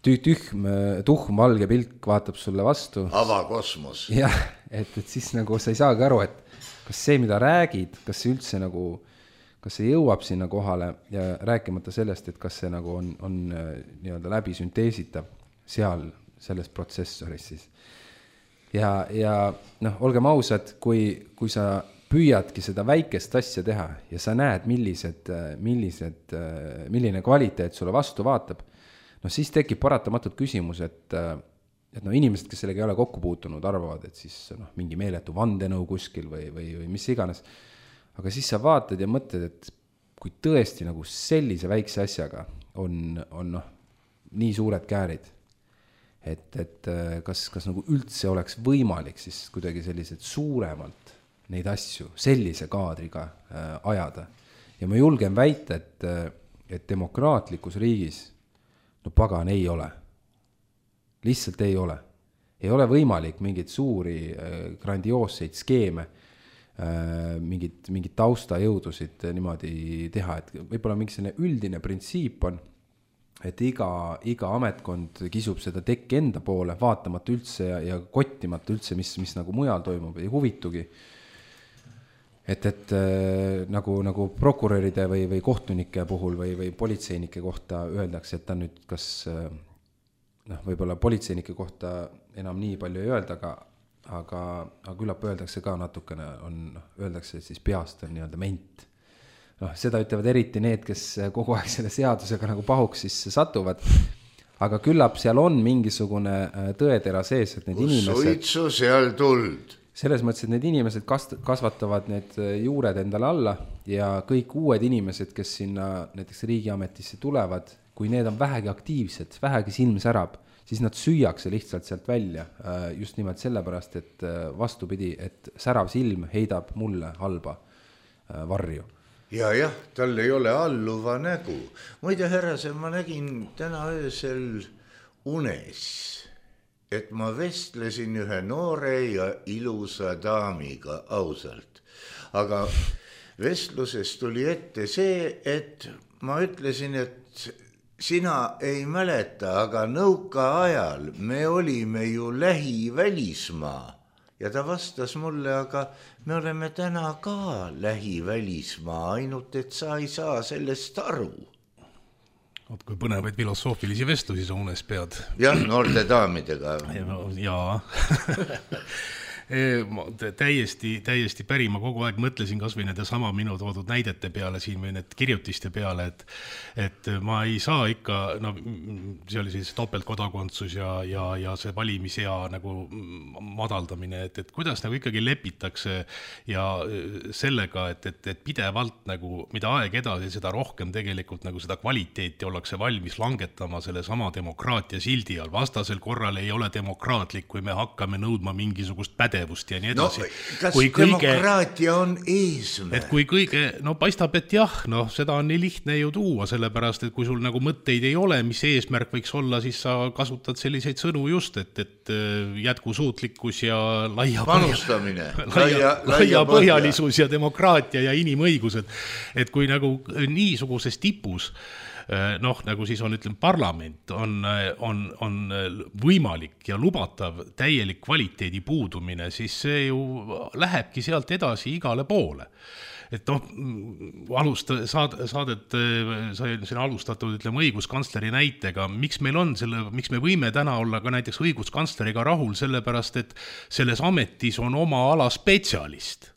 tühm, tuhm valge pilk vaatab sulle vastu. Avakosmos. Jah, et, et siis nagu sa ei saagi aru, et kas see, mida räägid, kas see üldse nagu, kas see jõuab sinna kohale ja rääkimata sellest, et kas see nagu on, on nii-öelda läbi sünteesitav seal selles protsessoris siis. Ja, ja noh, olgem ausad, kui, kui sa püüadki seda väikest asja teha ja sa näed, millised, millised, milline kvaliteet sulle vastu vaatab, no siis tekib paratamatult küsimus, et, et no inimesed, kes sellega ei ole kokku puutunud, arvavad, et siis no, mingi meeletu vandenõu kuskil või, või, või mis iganes. Aga siis sa vaatad ja mõtled, et kui tõesti nagu sellise väikse asjaga on, on noh, nii suured käärid, et, et kas, kas nagu üldse oleks võimalik siis kuidagi sellised suuremalt neid asju sellise kaadriga äh, ajada. Ja ma julgen väita, et, et demokraatlikus riigis no pagan ei ole. Lihtsalt ei ole. Ei ole võimalik mingit suuri äh, grandioosseid skeeme, äh, mingit, mingit taustajõudusid niimoodi teha, et võib-olla mingi selline üldine printsiip on, et iga, iga ametkond kisub seda tekki enda poole, vaatamata üldse ja, ja kottimata üldse, mis, mis nagu mujal toimub, ei huvitugi. Et, et äh, nagu, nagu prokuröride või, või kohtunike puhul või, või politseinike kohta öeldakse, et ta nüüd kas, äh, noh, võib-olla politseinike kohta enam nii palju ei öelda, aga, aga, aga küllap öeldakse ka natukene, on, noh, öeldakse, et siis peast on nii-öelda ment. Noh, seda ütlevad eriti need, kes kogu aeg selle seadusega nagu pahuks siis satuvad, aga küllap seal on mingisugune tõetera sees, et need Kus inimesed... suitsu seal tuld? Selles mõttes, et need inimesed kasvatavad need juured endale alla ja kõik uued inimesed, kes sinna näiteks riigiametisse tulevad, kui need on vähegi aktiivsed, vähegi silm särab, siis nad süüakse lihtsalt sealt välja. Just nimelt sellepärast, et vastupidi, et särav silm heidab mulle halba varju. Ja jah, tal ei ole alluva nägu. Muide, härrase, ma nägin täna öösel unes, et ma vestlesin ühe noore ja ilusa daamiga ausalt. Aga vestluses tuli ette see, et ma ütlesin, et sina ei mäleta, aga nõuka ajal me olime ju lähivälismaa. Ja ta vastas mulle, aga me oleme täna ka lähivälismaa, ainult et sa ei saa sellest aru. Oot, kui põnevaid filosoofilisi vestlusi sa unes pead. Jah, noorte daamidega. Jaa. Ma täiesti, täiesti päri, ma kogu aeg mõtlesin kas või nende sama minu toodud näidete peale siin või need kirjutiste peale, et, et ma ei saa ikka, no see oli siis topeltkodakondsus ja, ja, ja see valimisea nagu madaldamine, et, et kuidas nagu ikkagi lepitakse ja sellega, et, et, et pidevalt nagu, mida aeg edasi, seda rohkem tegelikult nagu seda kvaliteeti ollakse valmis langetama selle sama demokraatia sildi all. Vastasel korral ei ole demokraatlik, kui me hakkame nõudma mingisugust pädevust ja nii edasi. No, kas kui demokraatia kõige, on eesmärk? Et kui kõige, no paistab, et jah, no seda on nii lihtne ju tuua, sellepärast, et kui sul nagu mõtteid ei ole, mis eesmärk võiks olla, siis sa kasutad selliseid sõnu just, et, et jätkusuutlikkus ja laia, panustamine, laia, laia põhjalisus ja demokraatia ja inimõigused. Et kui nagu niisuguses tipus noh, nagu siis on, ütleme, parlament on, on, on võimalik ja lubatav täielik kvaliteedi puudumine, siis see ju lähebki sealt edasi igale poole. Et noh, alusta, saad, saadet, sai siin alustatud, ütleme, õiguskantsleri näitega, miks meil on selle, miks me võime täna olla ka näiteks õiguskantsleriga rahul, sellepärast, et selles ametis on oma ala spetsialist.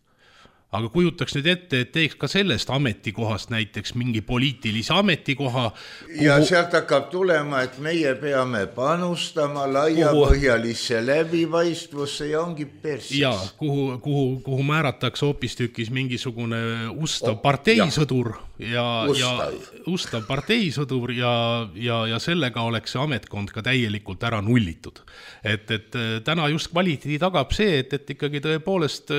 Aga kujutaks nüüd ette, et teeks ka sellest ametikohast näiteks mingi poliitilise ametikoha. Kuhu... Ja sealt hakkab tulema, et meie peame panustama laiapõhjalisse läbipaistvusse ja ongi persis. Ja, kuhu, kuhu, kuhu määratakse hoopistükis mingisugune ustav oh, parteisõdur ja, ja, ustav parteisõdur ja, ja, ja sellega oleks see ametkond ka täielikult ära nullitud. Et, et täna just kvaliteedi tagab see, et, et ikkagi tõepoolest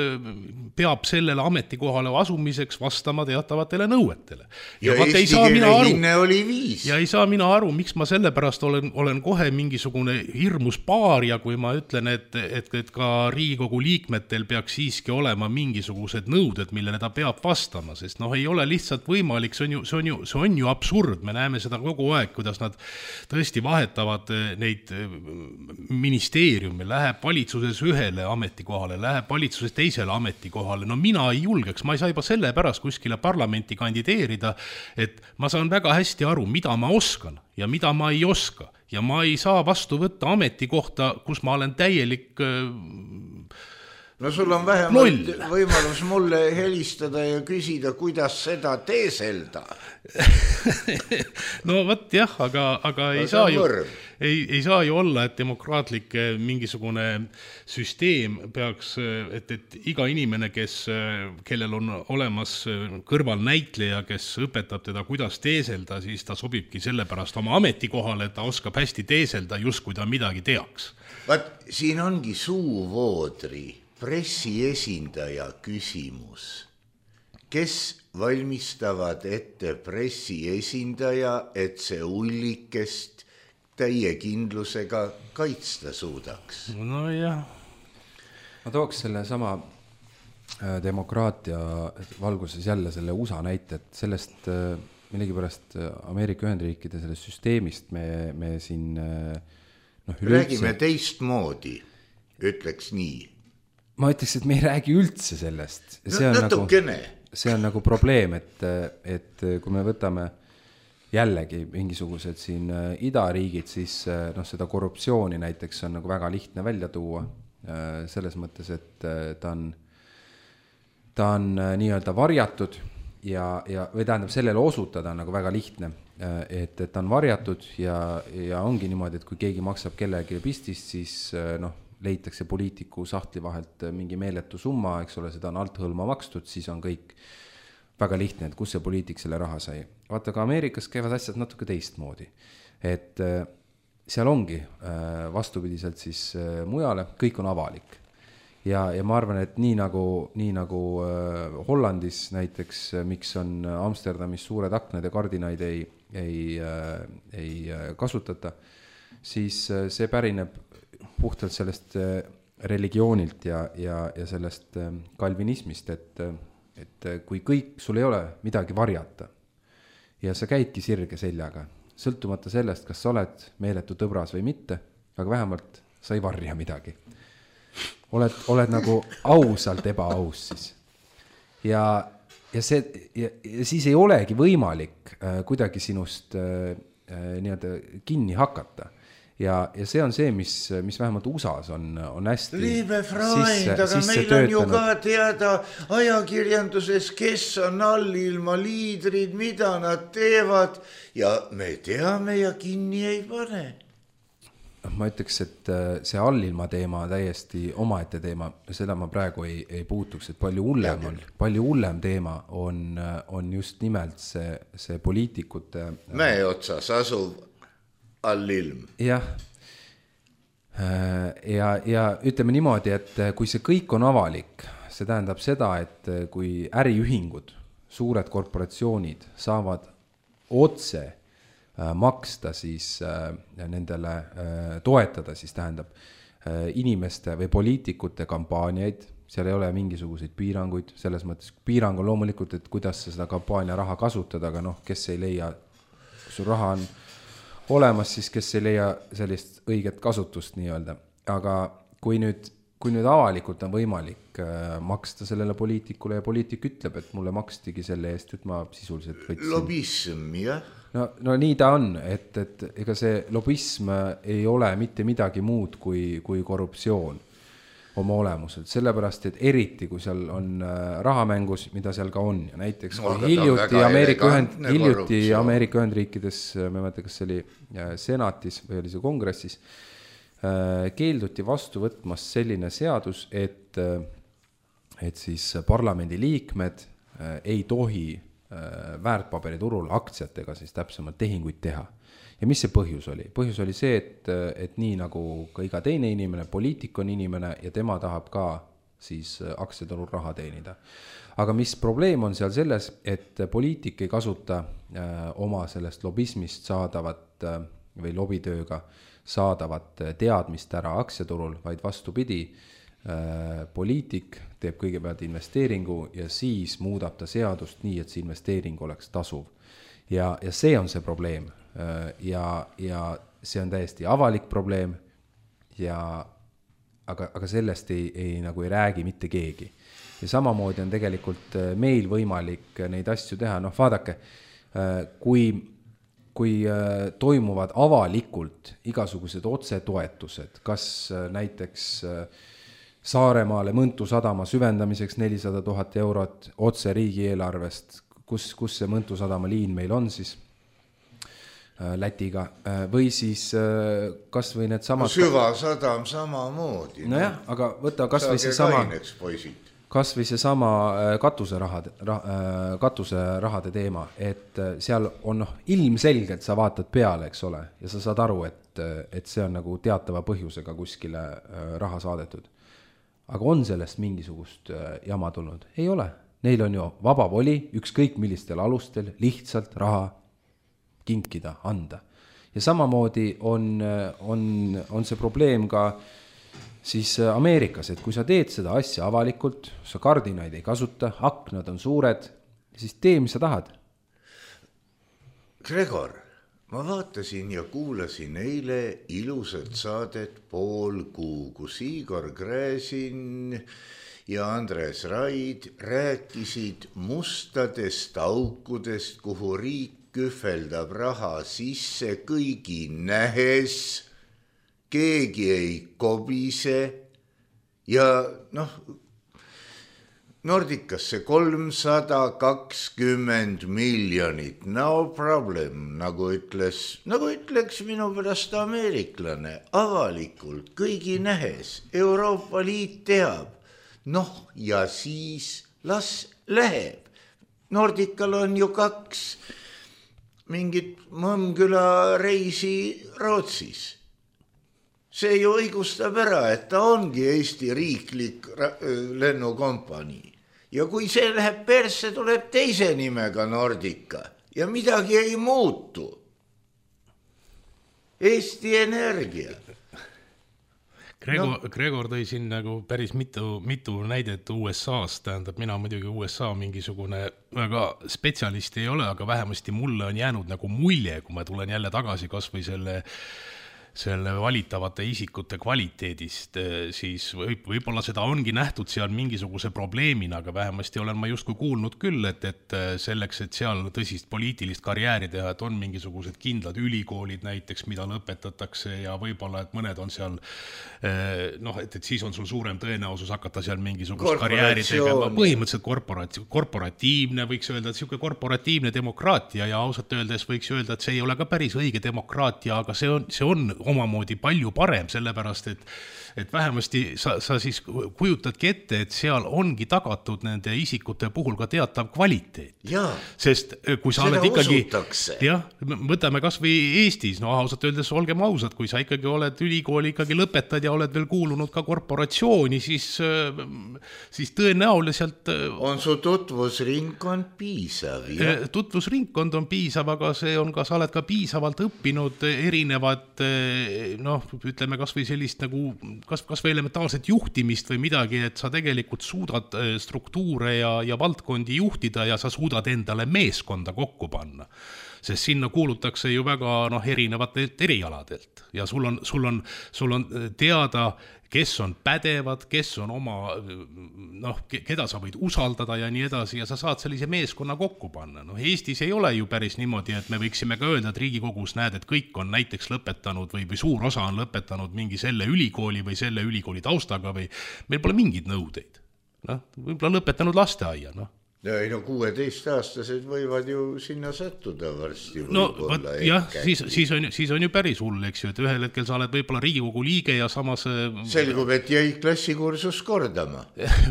peab sellele ametikohale asumiseks vastama teatavatele nõuetele. Ja, ja eesti keele hinne oli viis. Ja ei saa mina aru, miks ma sellepärast olen, olen kohe mingisugune hirmus paaria, kui ma ütlen, et, et, et ka Riigikogu liikmetel peaks siiski olema mingisugused nõuded, millele ta peab vastama, sest noh, ei ole lihtsalt võimalik, see on ju, see on ju, see on ju absurd, me näeme seda kogu aeg, kuidas nad tõesti vahetavad neid ministeeriumi, läheb valitsuses ühele ametikohale, läheb valitsuses teisele ametikohale, no mina ei julgeks, ma ei saa juba selle pärast kuskile parlamenti kandideerida, et ma saan väga hästi aru, mida ma oskan ja mida ma ei oska ja ma ei saa vastu võtta ametikohta, kus ma olen täielik no sul on vähemalt võimalus mulle helistada ja küsida, kuidas seda teeselda. No võt jah, aga, aga ei, saa ju, ei, ei saa ju olla, et demokraatlik mingisugune süsteem peaks, et, et iga inimene, kes, kellel on olemas kõrval näitleja, kes õpetab teda, kuidas teeselda, siis ta sobibki sellepärast oma ametikohale, et ta oskab hästi teeselda, just kui ta midagi teaks. Vaat, siin ongi suuvoodri pressiesindaja küsimus. Kes valmistavad ette pressiesindaja, et see ullikest täie kindlusega kaitsta suudaks? No jah. Ma tooks selle sama demokraatia valguses jälle selle U S A näite, et sellest millegipärast Ameerika Ühendriikide sellest süsteemist me, me siin no, üleüldse... räägime teistmoodi, ütleks nii. Ma ütleks, et me ei räägi üldse sellest. See on, nagu, see on nagu probleem, et, et kui me võtame jällegi mingisugused siin idariigid, siis noh, seda korruptsiooni näiteks on nagu väga lihtne välja tuua. Selles mõttes, et ta on, ta on nii-öelda varjatud ja, ja, või tähendab sellele osutada on nagu väga lihtne, et, et ta on varjatud ja, ja ongi niimoodi, et kui keegi maksab kellegi pistist, siis noh, leitakse poliitiku sahtli vahelt mingi meeletu summa, eks ole, seda on alt hõlma makstud, siis on kõik väga lihtne, et kus see poliitik selle raha sai. Vaata, ka Ameerikas käivad asjad natuke teistmoodi. Et seal ongi vastupidiselt siis mujale, kõik on avalik. Ja, ja ma arvan, et nii nagu, nii nagu Hollandis näiteks, miks on Amsterdamis suured aknad ja kardinaid ei, ei, ei kasutata, siis see pärineb puhtalt sellest religioonilt ja, ja, ja sellest kalvinismist, et, et kui kõik, sul ei ole midagi varjata ja sa käidki sirge seljaga, sõltumata sellest, kas sa oled meeletu tõbras või mitte, aga vähemalt sa ei varja midagi. Oled, oled nagu ausalt ebaaus siis. Ja, ja, see, ja, ja siis ei olegi võimalik äh, kuidagi sinust äh, nii-öelda kinni hakata. Ja, ja see on see, mis, mis vähemalt U S A-s on, on hästi Liebe Freund, sisse, aga sisse meil töötanud. on ju ka teada ajakirjanduses, kes on allilma liidrid, mida nad teevad ja me teame ja kinni ei pane. Ma ütleks, et see allilma teema täiesti omaette teema, seda ma praegu ei, ei puutuks, et palju hullem on, palju hullem teema on, on just nimelt see, see poliitikute Mäe otsas asuv allilm. Jah. Ja, ja ütleme niimoodi, et kui see kõik on avalik, see tähendab seda, et kui äriühingud, suured korporatsioonid saavad otse maksta siis nendele toetada, siis tähendab inimeste või poliitikute kampaaniaid, seal ei ole mingisuguseid piiranguid, selles mõttes piirang on loomulikult, et kuidas seda kampaania raha kasutada, aga noh, kes ei leia, kui sul raha on olemas, siis kes ei leia sellist õiget kasutust nii-öelda. Aga kui nüüd, kui nüüd avalikult on võimalik maksta sellele poliitikule ja poliitik ütleb, et mulle makstigi selle eest, et ma sisuliselt võtsin. Lobism, jah? No, no nii ta on, et, et ega see lobism ei ole mitte midagi muud kui, kui korruptsioon oma olemuselt, sellepärast, et eriti, kui seal on rahamängus, mida seal ka on, ja näiteks no, hiljuti, Ameerika, ühend, hiljuti Ameerika Ühendriikides, ma ei mõtle, kas see oli senatis või oli see kongressis, keelduti vastu võtmas selline seadus, et, et siis parlamendi liikmed ei tohi väärtpaberiturul aktsiatega siis täpsemalt tehinguid teha. Ja mis see põhjus oli? Põhjus oli see, et, et nii nagu ka iga teine inimene, poliitik on inimene ja tema tahab ka siis aktsiaturul raha teenida. Aga mis probleem on seal selles, et poliitik ei kasuta äh, oma sellest lobismist saadavat äh, või lobitööga saadavat teadmist ära aktsiaturul, vaid vastupidi, äh, poliitik teeb kõigepealt investeeringu ja siis muudab ta seadust nii, et see investeering oleks tasuv. Ja, ja see on see probleem. Ja, ja see on täiesti avalik probleem ja aga, aga sellest ei, ei, nagu ei räägi mitte keegi. Ja samamoodi on tegelikult meil võimalik neid asju teha. Noh, vaadake, kui, kui toimuvad avalikult igasugused otsetoetused, kas näiteks Saaremaale Mõntu sadama süvendamiseks nelisada tuhat eurot otse riigieelarvest, kus, kus see Mõntu sadama liin meil on siis Lätiga, või siis kas või need samad... No süvasadam samamoodi. No jah, aga võta kas või see sama... Kas või see sama katuserahade, katuserahade teema, et seal on noh, ilmselgelt sa vaatad peale, eks ole, ja sa saad aru, et, et see on nagu teatava põhjusega kuskile raha saadetud. Aga on sellest mingisugust jama tulnud? Ei ole. Neil on ju vaba voli, ükskõik millistel alustel, lihtsalt raha kinkida, anda. Ja samamoodi on, on, on see probleem ka siis Ameerikas, et kui sa teed seda asja avalikult, sa kardinaid ei kasuta, aknad on suured, siis tee, mis sa tahad. Gregor, ma vaatasin ja kuulasin eile ilusat saadet Pool kuu, kus Igor Gräzin ja Andres Raid rääkisid mustadest aukudest, kuhu riik kühveldab raha sisse kõigi nähes, keegi ei kobise ja noh, Nordikasse kolmsada kakskümmend miljonit, no problem, nagu ütles, nagu ütleks minu pärast ameeriklane, avalikult, kõigi nähes, Euroopa Liit teab, noh ja siis las läheb. Nordikal on ju kaks mingit Mõmmküla reisi Rootsis. See ju õigustab ära, et ta ongi Eesti riiklik lennukompanii. Ja kui see läheb persse, tuleb teise nimega Nordika ja midagi ei muutu. Eesti Energia. Gregor, no. Gregor tõi siin nagu päris mitu, mitu näidet U S A-st, tähendab, mina muidugi U S A mingisugune väga spetsialist ei ole, aga vähemasti mulle on jäänud nagu mulje, kui ma tulen jälle tagasi kas või selle selle valitavate isikute kvaliteedist, siis võib, võib-olla seda ongi nähtud seal mingisuguse probleemina, aga vähemasti olen ma justkui kuulnud küll, et, et selleks, et seal tõsist poliitilist karjääri teha, et on mingisugused kindlad ülikoolid näiteks, mida lõpetatakse ja võib-olla, et mõned on seal, noh, et, et siis on sul suurem tõenäosus hakata seal mingisugust karjääri tegema. Põhimõtteliselt korporati- korporatiivne, võiks öelda, et siuke korporatiivne demokraatia ja ausalt öeldes võiks öelda, et see ei ole ka päris õige demokraatia, aga see on, see on omamoodi palju parem, sellepärast, et, et vähemasti sa, sa siis kujutadki ette, et seal ongi tagatud nende isikute puhul ka teatav kvaliteet. Jaa, sest kui sa oled ikkagi, usutakse. jah, võtame kas või Eestis, no ausalt öeldes olgem ausad, kui sa ikkagi oled ülikooli ikkagi lõpetad ja oled veel kuulunud ka korporatsiooni, siis, siis tõenäoliselt on su tutvusringkond piisav. Ja? Tutvusringkond on piisav, aga see on ka, sa oled ka piisavalt õppinud erinevad noh, ütleme kas või sellist nagu, kas, kas või elementaalset juhtimist või midagi, et sa tegelikult suudad struktuure ja, ja valdkondi juhtida ja sa suudad endale meeskonda kokku panna. Sest sinna kuulutakse ju väga noh, erinevatelt erialadelt ja sul on, sul on, sul on teada, kes on pädevad, kes on oma, noh, keda sa võid usaldada ja nii edasi ja sa saad sellise meeskonna kokku panna. Noh, Eestis ei ole ju päris niimoodi, et me võiksime ka öelda, et Riigikogus näed, et kõik on näiteks lõpetanud või, või suur osa on lõpetanud mingi selle ülikooli või selle ülikooli taustaga või meil pole mingid nõudeid. Noh, võib-olla lõpetanud lasteaia, noh. Ei no kuueteistaastased võivad ju sinna sattuda varsti. No võt, jah, siis, siis, on, siis on ju päris hull, eks ju, et ühel hetkel sa oled võib-olla Riigikogu liige ja samas selgub, et jäi klassikursust kordama.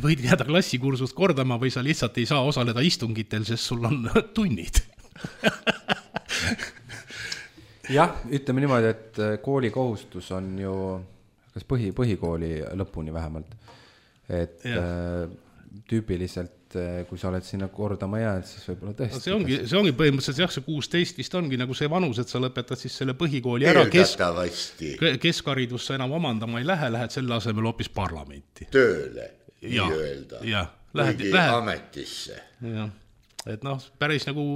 Võid jääda klassikursust kordama või sa lihtsalt ei saa osaleda istungitel, sest sul on tunnid. jah, ütleme niimoodi, et kooli kohustus on ju kas põhi, põhikooli lõpuni vähemalt, et ja. Tüüpiliselt kui sa oled sinna kordama jääd, siis võib-olla tõesti. No see, ongi, see ongi põhimõtteliselt jah, see kuusteist vist ongi nagu see vanus, et sa lõpetad siis selle põhikooli ära. Kesk, keskharidusse enam omandama ei lähe, lähed selle asemel hoopis parlamenti. Tööle, nii ja, öelda. Ja, lähed, lähed, ametisse. Ja. Et noh, päris nagu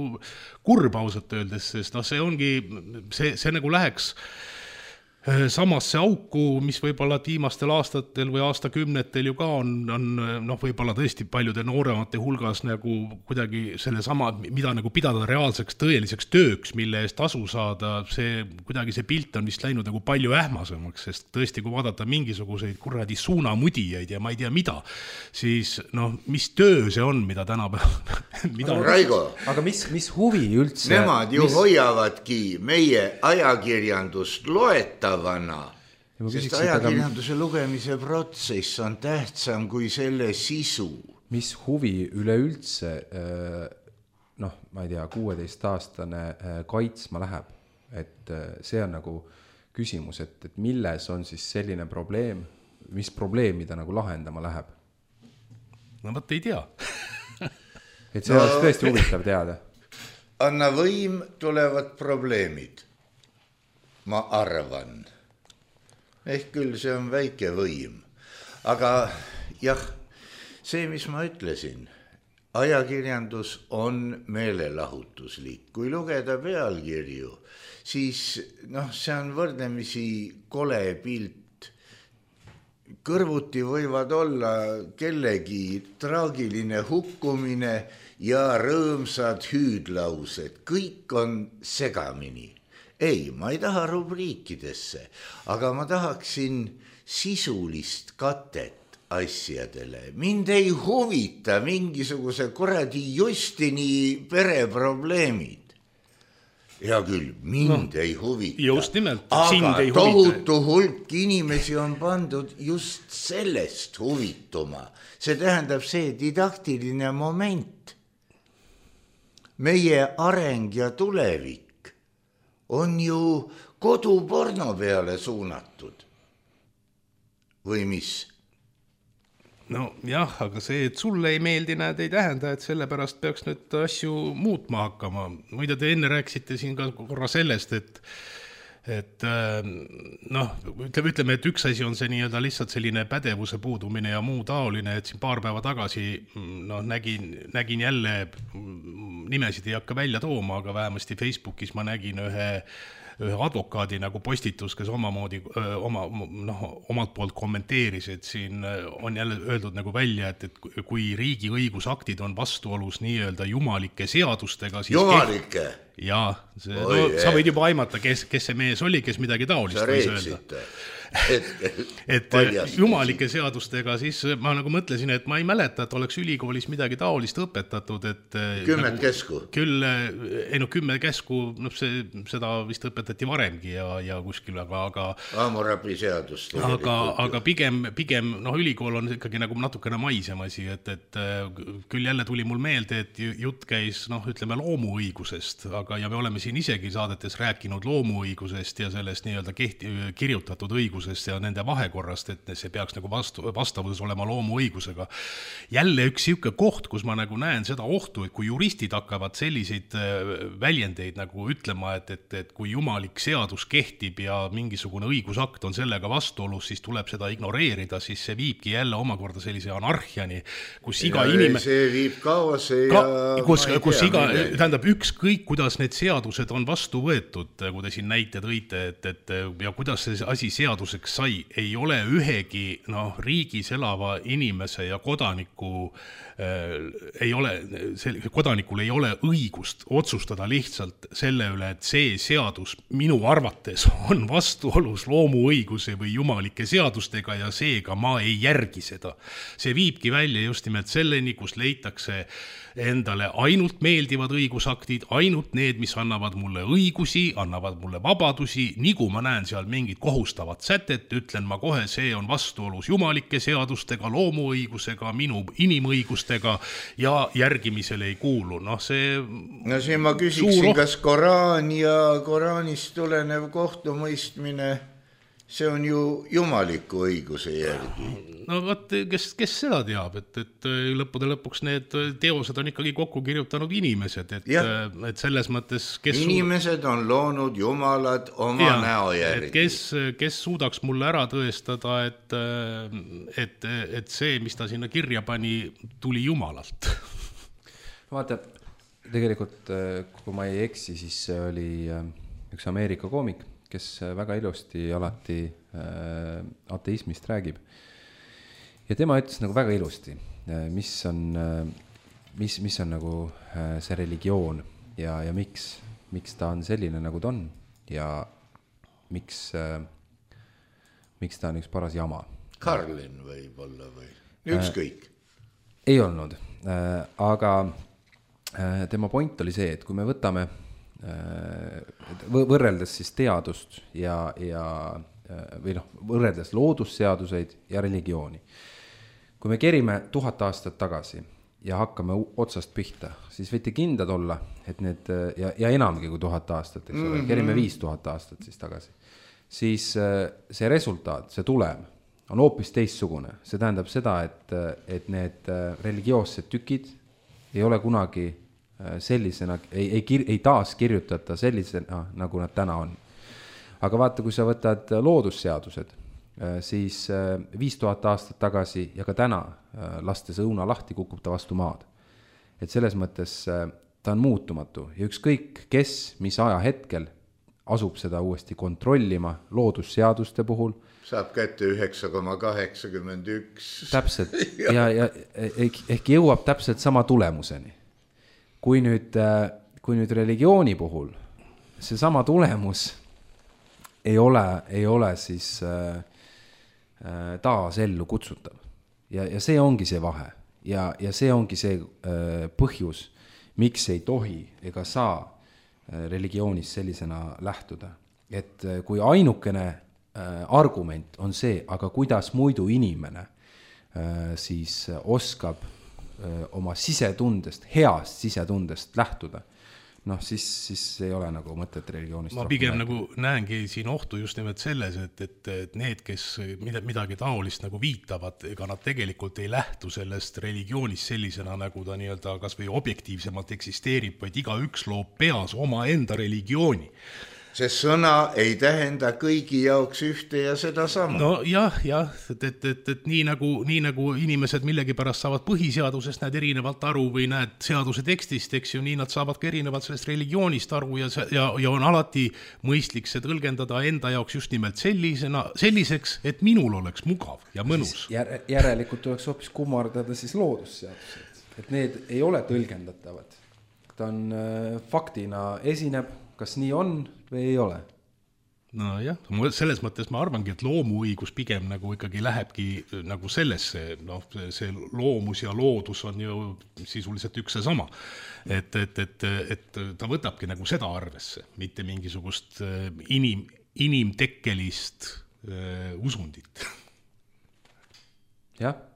kurb ausalt öeldes, sest noh, see ongi, see, see nagu läheks samasse auku, mis võib-olla viimastel aastatel või aastakümnetel ju ka on, on noh, võib-olla tõesti paljude nooremate hulgas nagu kuidagi selle sama, mida nagu pidada reaalseks tõeliseks tööks, mille eest tasu saada, see kuidagi see pilt on vist läinud nagu palju ähmasemaks, sest tõesti, kui vaadata mingisuguseid kuradi suunamudijaid ja ma ei tea mida, siis noh, mis töö see on, mida tänapäeval mida no, Raigo, aga mis, mis huvi üldse? Nemad ju mis... hoiavadki meie ajakirjandust loeta Vana. Sest ajakirjanduse lugemise protsess on tähtsam kui selle sisu. Mis huvi üleüldse noh, ma ei tea, kuueteistaastane kaitsma läheb, et see on nagu küsimus, et, et milles on siis selline probleem, mis probleemi ta nagu lahendama läheb? No võt ei tea. et see no, oleks tõesti huvitav teada. Anna võim, tulevad probleemid. Ma arvan. Ehk küll see on väike võim. Aga jah, see, mis ma ütlesin, ajakirjandus on meelelahutuslik. Kui lugeda pealkirju, siis noh, see on võrdlemisi kole pilt. Kõrvuti võivad olla kellegi traagiline hukkumine ja rõõmsad hüüdlaused. Kõik on segamini. Ei, ma ei taha rubriikidesse, aga ma tahaksin sisulist katet asjadele. Mind ei huvita mingisuguse kuradi Justini pereprobleemid. Hea küll, mind no, ei huvita. Just nimelt, aga ei tohutu hulk inimesi on pandud just sellest huvituma. See tähendab see didaktiline moment. Meie areng ja tulevik on ju koduporno peale suunatud. Või mis? No jah, aga see, et sulle ei meeldi, näed, ei tähenda, et selle pärast peaks nüüd asju muutma hakkama. Muide, te enne rääksite siin ka korra sellest, et et noh, ütleme, ütleme, et üks asi on see nii-öelda lihtsalt selline pädevuse puudumine ja muu taoline, et siin paar päeva tagasi noh, nägin, nägin jälle, nimesid ei hakka välja tooma, aga vähemasti Facebookis ma nägin ühe ühe advokaadi nagu postitus, kes omamoodi öö, oma, noh, omalt poolt kommenteeris, et siin on jälle öeldud nagu välja, et, et kui riigi õigusaktid on vastuolus nii-öelda jumalike seadustega, siis jumalike? Keht... Jaa, see, no, sa võid juba aimata, kes, kes see mees oli, kes midagi taolist võis öelda. Hetkel, et paljastas. Jumalike seadustega siis ma nagu mõtlesin, et ma ei mäleta, et oleks ülikoolis midagi taolist õpetatud, et kümmet nagu, käsku küll, ei no kümme käsku, no see, seda vist õpetati varemgi ja, ja kuskil, aga aga, Hammurabi seadus aga, aga pigem, pigem noh, ülikool on ikkagi nagu natukene maisem asi, et, et küll jälle tuli mul meelde, et jutt käis noh, ütleme loomuõigusest, aga ja me oleme siin isegi saadetes rääkinud loomuõigusest ja sellest nii-öelda kehti, kirjutatud õigusest ja nende vahekorrast, et see peaks nagu vastu, vastavuses olema loomuõigusega. Jälle üks siuke koht, kus ma nagu näen seda ohtu, et kui juristid hakkavad selliseid väljendeid nagu ütlema, et, et, et kui jumalik seadus kehtib ja mingisugune õigusakt on sellega vastuolus, siis tuleb seda ignoreerida, siis see viibki jälle omakorda sellise anarhiani, kus iga ja inime... See viib kaose ja... Ka, kus, kus tea, iga, tähendab ükskõik, kuidas need seadused on vastu võetud, kui te siin näite tõite, et, et ja kuidas see asi seadus sai, ei ole ühegi noh, riigis elava inimese ja kodaniku äh, ei ole, kodanikul ei ole õigust otsustada lihtsalt selle üle, et see seadus minu arvates on vastuolus loomuõiguse või jumalike seadustega ja seega ma ei järgi seda. See viibki välja just nimelt selleni, kus leitakse endale ainult meeldivad õigusaktid, ainult need, mis annavad mulle õigusi, annavad mulle vabadusi, nii kui ma näen seal mingid kohustavad sätet, ütlen ma kohe, see on vastuolus jumalike seadustega, loomuõigusega, minu inimõigustega ja järgimisele ei kuulu. Noh, see no siin ma küsiksin, suur... kas Koraan ja Koraanist tulenev kohtumõistmine, see on ju jumaliku õiguse järgi. No vaat, kes, kes seda teab, et, et lõppude lõpuks need teosed on ikkagi kokku kirjutanud inimesed, et, et selles mõttes kes inimesed on loonud jumalad oma ja, näo järgi. Kes, kes suudaks mulle ära tõestada, et, et, et see, mis ta sinna kirja pani, tuli jumalalt. Vaata, tegelikult kui ma ei eksi, siis oli üks Ameerika koomik, kes väga ilusti alati äh, ateismist räägib. Ja tema ütles nagu väga ilusti, mis on, mis, mis on nagu see religioon ja, ja miks, miks ta on selline, nagu ta on ja miks, miks ta on üks paras jama. Karlin võib olla või ükskõik? Äh, ei olnud, äh, aga äh, tema point oli see, et kui me võtame võrreldes siis teadust ja, ja, või noh, võrreldes loodusseaduseid ja religiooni. Kui me kerime tuhat aastat tagasi ja hakkame otsast pihta, siis võite kindlad olla, et need, ja, ja enamgi kui tuhat aastat, eks ole, mm-hmm. kerime viis tuhat aastat siis tagasi, siis see resultaat, see tulem on hoopis teistsugune. See tähendab seda, et, et need religioossed tükid ei ole kunagi sellisena, ei, ei, ei taas kirjutata sellisena, nagu nad täna on. Aga vaata, kui sa võtad loodusseadused, siis viis tuhat aastat tagasi ja ka täna lastes õuna lahti kukub ta vastu maad. Et selles mõttes ta on muutumatu ja ükskõik kes, mis aja hetkel asub seda uuesti kontrollima loodusseaduste puhul. Saab kätte üheksa koma kaheksakümmend üks. Täpselt ja, ja ehk jõuab täpselt sama tulemuseni. Kui nüüd, kui nüüd religiooni puhul see sama tulemus ei ole, ei ole siis äh, taas ellu kutsutav. Ja, ja see ongi see vahe. Ja, ja see ongi see äh, põhjus, miks ei tohi ega saa äh, religioonist sellisena lähtuda. Et äh, kui ainukene äh, argument on see, aga kuidas muidu inimene äh, siis oskab oma sisetundest, heast sisetundest lähtuda, noh siis, siis ei ole nagu mõtet religioonist. Ma pigem nagu näengi siin ohtu just nimelt selles, et, et, et need, kes midagi taolist nagu viitavad, ega nad tegelikult ei lähtu sellest religioonist sellisena, nagu ta nii-öelda kas või objektiivsemalt eksisteerib, vaid iga üks loob peas oma enda religiooni. see sõna ei tähenda kõigi jaoks ühte ja seda sama. No jah, jah, et, et, et, et nii, nagu, nii nagu inimesed millegipärast saavad põhiseadusest näed erinevalt aru või näed seaduse tekstist, eks ju, nii nad saavad ka erinevalt sellest religioonist aru ja, ja, ja on alati mõistlik see tõlgendada enda jaoks just nimelt sellisena, selliseks, et minul oleks mugav ja mõnus. Jär, järelikult tuleks hoopis kummardada siis loodusseadused, et need ei ole tõlgendatavad. Ta on äh, faktina esineb, kas nii on või ei ole? No jah, selles mõttes ma arvangi, et loomuõigus pigem nagu ikkagi lähebki nagu sellesse, noh, see loomus ja loodus on ju sisuliselt üks see sama. Et, et, et, et ta võtabki nagu seda arvesse, mitte mingisugust inim, inimtekkelist äh, usundit. Jah.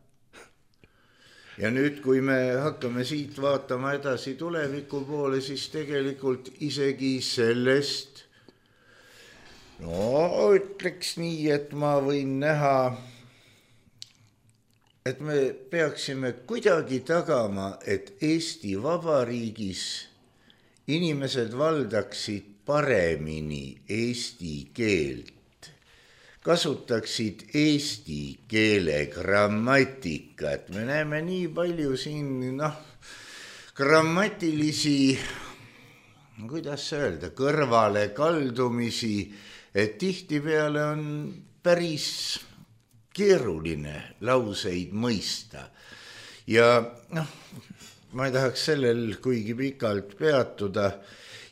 Ja nüüd, kui me hakkame siit vaatama edasi tuleviku poole, siis tegelikult isegi sellest, no ütleks nii, et ma võin näha, et me peaksime kuidagi tagama, et Eesti Vabariigis inimesed valdaksid paremini eesti keelt, kasutaksid eesti keele grammatikat. Me näeme nii palju siin, noh, grammatilisi, kuidas öelda, kõrvale kaldumisi, et tihtipeale on päris keeruline lauseid mõista. Ja noh, ma ei tahaks sellel kuigi pikalt peatuda.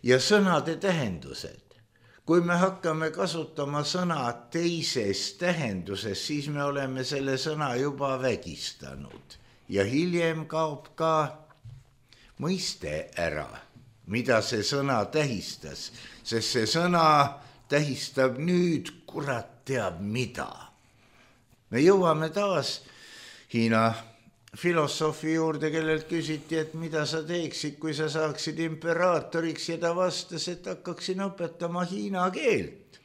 Ja sõnade tähendused. Kui me hakkame kasutama sõna teises tähenduses, siis me oleme selle sõna juba vägistanud. Ja hiljem kaob ka mõiste ära, mida see sõna tähistas, sest see sõna tähistab nüüd kurat teab mida. Me jõuame taas Hiina filosoofi juurde, kellelt küsiti, et mida sa teeksid, kui sa saaksid imperaatoriks, ja ta vastas, et hakkaksin õpetama hiina keelt.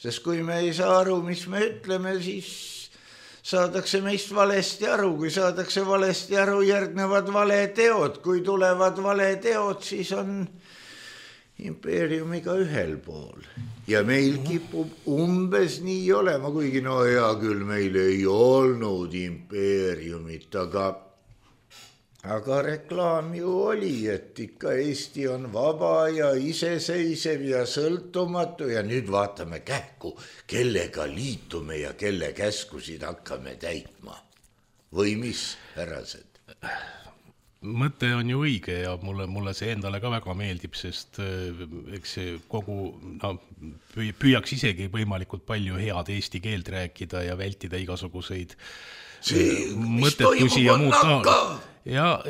Sest kui me ei saa aru, mis me ütleme, siis saadakse meist valesti aru. Kui saadakse valesti aru, järgnevad valeteod. Kui tulevad valeteod, siis on impeeriumiga ühel pool. Ja meil kipub umbes nii olema, kuigi no hea küll, meil ei olnud impeeriumit, aga, aga reklaam ju oli, et ikka Eesti on vaba ja iseseisev ja sõltumatu ja nüüd vaatame kähku, kellega liitume ja kelle käskusid hakkame täitma. Või mis, härrased? Mõte on ju õige ja mulle, mulle see endale ka väga meeldib, sest eks see kogu, no, püüaks isegi võimalikult palju head eesti keelt rääkida ja vältida igasuguseid see, mõttetusi ja muud taola. Ja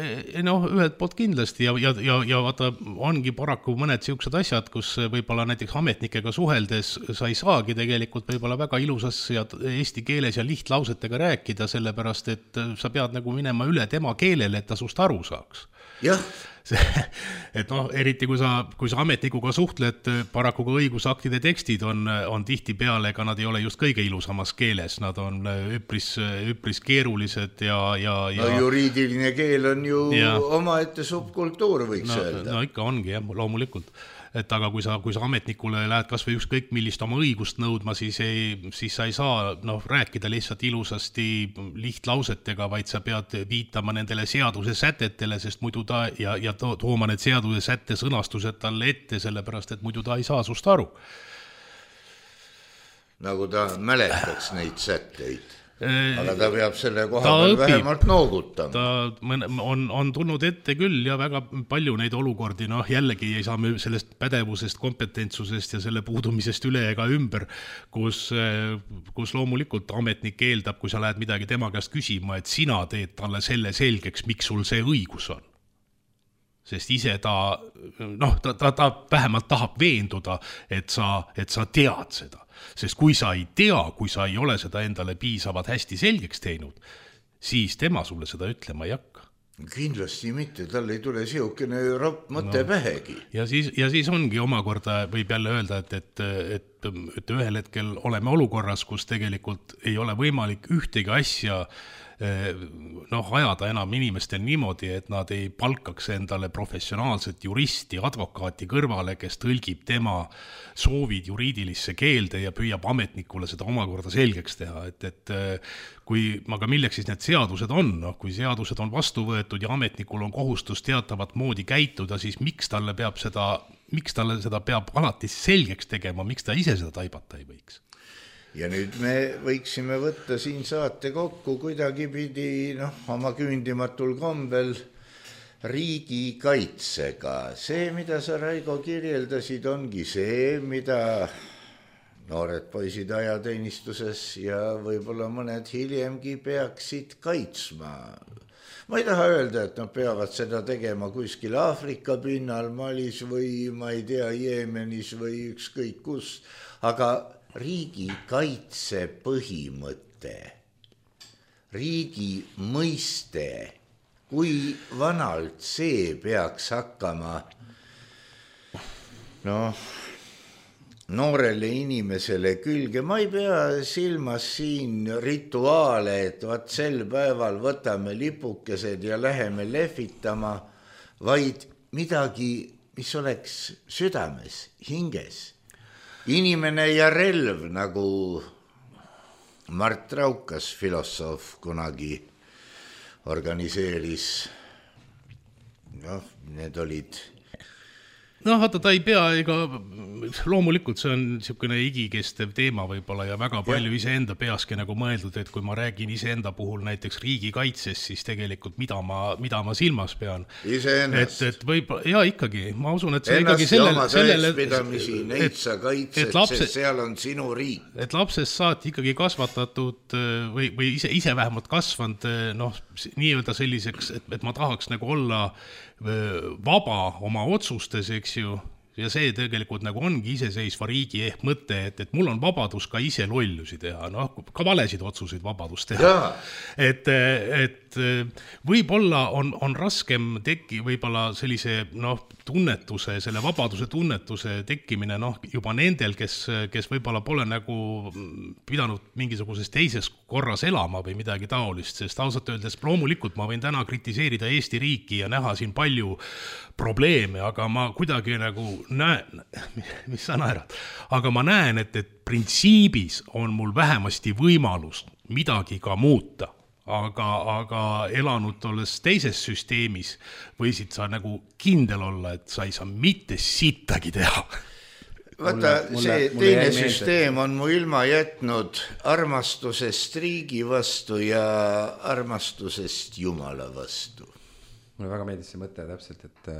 noh, ühelt poolt kindlasti ja, ja, ja, ja vaata, ongi paraku mõned siuksed asjad, kus võib-olla näiteks ametnikega suheldes sa ei saagi tegelikult võib-olla väga ilusas ja eesti keeles ja lihtlausetega rääkida, sellepärast, et sa pead nagu minema üle tema keelele, et ta sust aru saaks. Jah. Et noh, eriti kui sa, kui sa ametnikuga suhtled, paraku ka õigusaktide tekstid on, on tihti peale, ega nad ei ole just kõige ilusamas keeles, nad on üpris, üpris keerulised ja, ja, ja... No juriidiline keel on ju ja, omaette subkultuur, võiks no, öelda. No ikka ongi, jah, loomulikult. Et aga kui sa, kui sa ametnikule lähed kas või ükskõik millist oma õigust nõudma, siis, ei, siis sa ei saa noh, rääkida lihtsalt ilusasti lihtlausetega, vaid sa pead viitama nendele seaduse sätetele, sest muidu ta ja, ja tooma need seaduse sätte sõnastused talle ette, sellepärast, et muidu ta ei saa sust aru. Nagu ta mäletaks neid sätteid. Aga ta peab selle koha peal vähemalt noogutama. Ta on, on tulnud ette küll ja väga palju neid olukordi, noh jällegi ei saa me sellest pädevusest, kompetentsusest ja selle puudumisest üle ega ümber, kus, kus loomulikult ametnik eeldab, kui sa lähed midagi tema käest küsima, et sina teed talle selle selgeks, miks sul see õigus on. Sest ise ta, noh, ta, ta, ta vähemalt tahab veenduda, et sa, et sa tead seda. Sest kui sa ei tea, kui sa ei ole seda endale piisavalt hästi selgeks teinud, siis tema sulle seda ütlema ei hakka. Kindlasti mitte, tal ei tule siukene ropp mõte no. Pähegi. Ja siis, ja siis ongi omakorda, võib jälle öelda, et, et, et et, et ühel hetkel oleme olukorras, kus tegelikult ei ole võimalik ühtegi asja noh, ajada enam inimestel niimoodi, et nad ei palkaks endale professionaalset juristi, advokaati kõrvale, kes tõlgib tema soovid juriidilisse keelde ja püüab ametnikule seda omakorda selgeks teha, et, et kui, aga milleks siis need seadused on, noh, kui seadused on vastu võetud ja ametnikul on kohustus teatavat moodi käituda, siis miks talle peab seda, miks talle seda peab alati selgeks tegema, miks ta ise seda taibata ei võiks? Ja nüüd me võiksime võtta siin saate kokku kuidagi pidi noh, oma küündimatul kombel riigikaitsega. See, mida sa, Raigo, kirjeldasid, ongi see, mida noored poisid ajateenistuses ja võib-olla mõned hiljemgi peaksid kaitsma. Ma ei taha öelda, et nad peavad seda tegema kuskil Aafrika pinnal, Malis või ma ei tea, Jeemenis või ükskõik kus, aga riigi kaitse põhimõte, riigi mõiste, kui vanalt see peaks hakkama noh, noorele inimesele külge. Ma ei pea silmas siin rituaale, et vaat sel päeval võtame lipukesed ja läheme lehvitama, vaid midagi, mis oleks südames, hinges. Inimene ja relv, nagu Mart Raukas, filosoof, kunagi organiseeris. Noh, need olid... noh, vaata, ta ei pea, ega loomulikult see on niisugune igikestev teema võib-olla ja väga palju ja. Iseenda peaski nagu mõeldud, et kui ma räägin iseenda puhul näiteks riigikaitsest, siis tegelikult mida ma, mida ma silmas pean. Iseennast. Et, et võib, ja ikkagi, ma usun, et see ennast ikkagi sellele... Ennast ja oma täispidamisi, neid sa kaitsed, lapse, sest seal on sinu riik. Et lapsest saati ikkagi kasvatatud või, või ise, ise vähemalt kasvanud, noh, nii-öelda selliseks, et, et ma tahaks nagu olla vaba oma otsustes, eks ju, ja see tegelikult nagu ongi iseseisva riigi ehk mõte, et, et mul on vabadus ka ise lollusi teha, noh, ka valesid otsuseid vabadus teha. Et, et võib-olla on, on raskem teki, võib-olla sellise, noh, tunnetuse, selle vabaduse tunnetuse tekkimine, noh, juba nendel, kes, kes võib-olla pole nagu pidanud mingisuguses teises korras elama või midagi taolist, sest ausalt öeldes loomulikult ma võin täna kritiseerida Eesti riiki ja näha siin palju probleeme, aga ma kuidagi nagu näen, mis sa naerad, aga ma näen, et, et printsiibis on mul vähemasti võimalus midagi ka muuta. Aga, aga elanud olles teises süsteemis võisid sa nagu kindel olla, et sa ei saa mitte sittagi teha. Vaata, see teine süsteem on mu ilma jätnud armastusest riigi vastu ja armastusest Jumala vastu. Mulle väga meeldis see mõte täpselt, et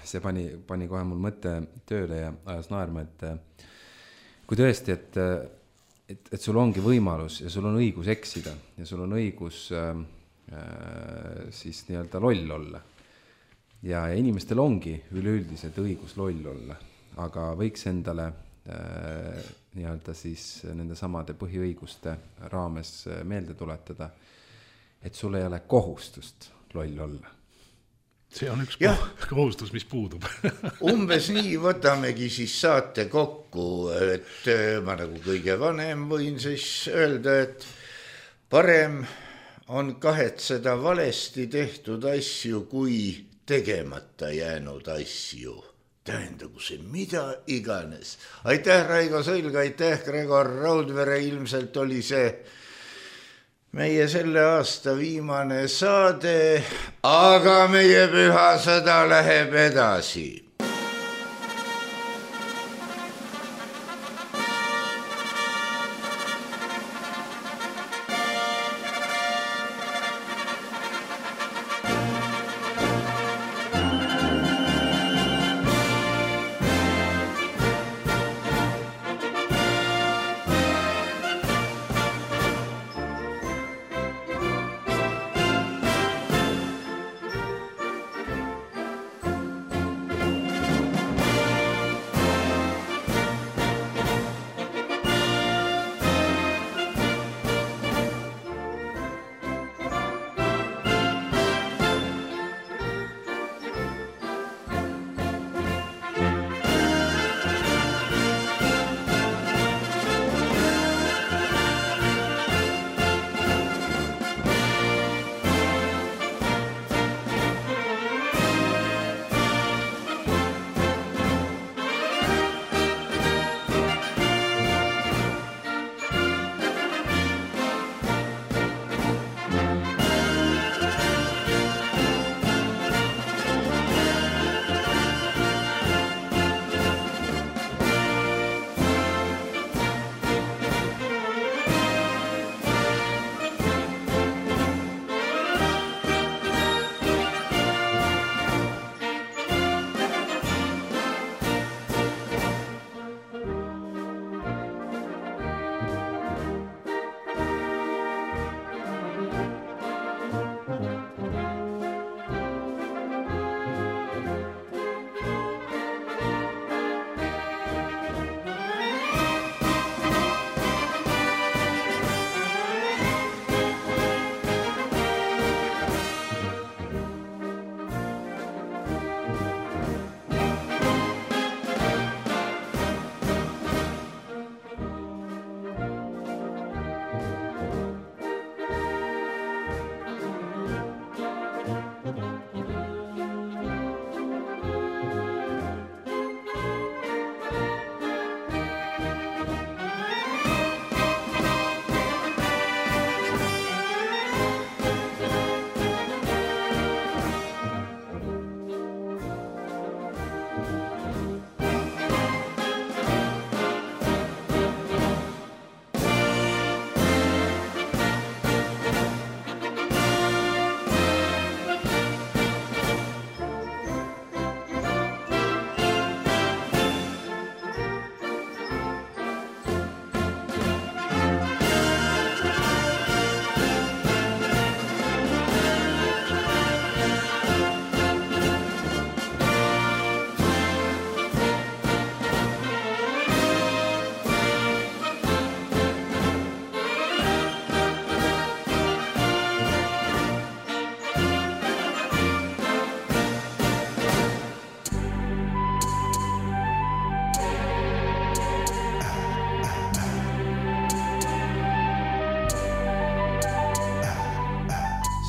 see pani, pani kohe mul mõte tööle ja ajas naerma, et kui tõesti, et Et, et sul ongi võimalus ja sul on õigus eksida ja sul on õigus äh, siis nii-öelda loll olla. Ja, ja inimestel ongi üleüldiselt õigus loll olla, aga võiks endale äh, nii-öelda siis nende samade põhiõiguste raames meelde tuletada, et sul ei ole kohustust loll olla. See on üks ja. kohustus, mis puudub. Umbes nii võtamegi siis saate kokku, et ma nagu kõige vanem võin siis öelda, et parem on kahetseda valesti tehtud asju, kui tegemata jäänud asju. Tähendagu see mida iganes. Aitäh, Raigo Sõlg, aitäh, Gregor Raudvere, ilmselt oli see meie selle aasta viimane saade, aga meie püha sõda läheb edasi.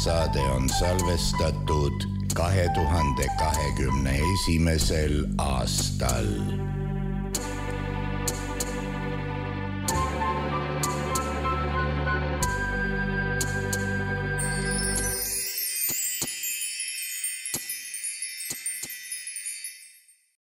saade on salvestatud kahe tuhande kahekümne esimesel aastal.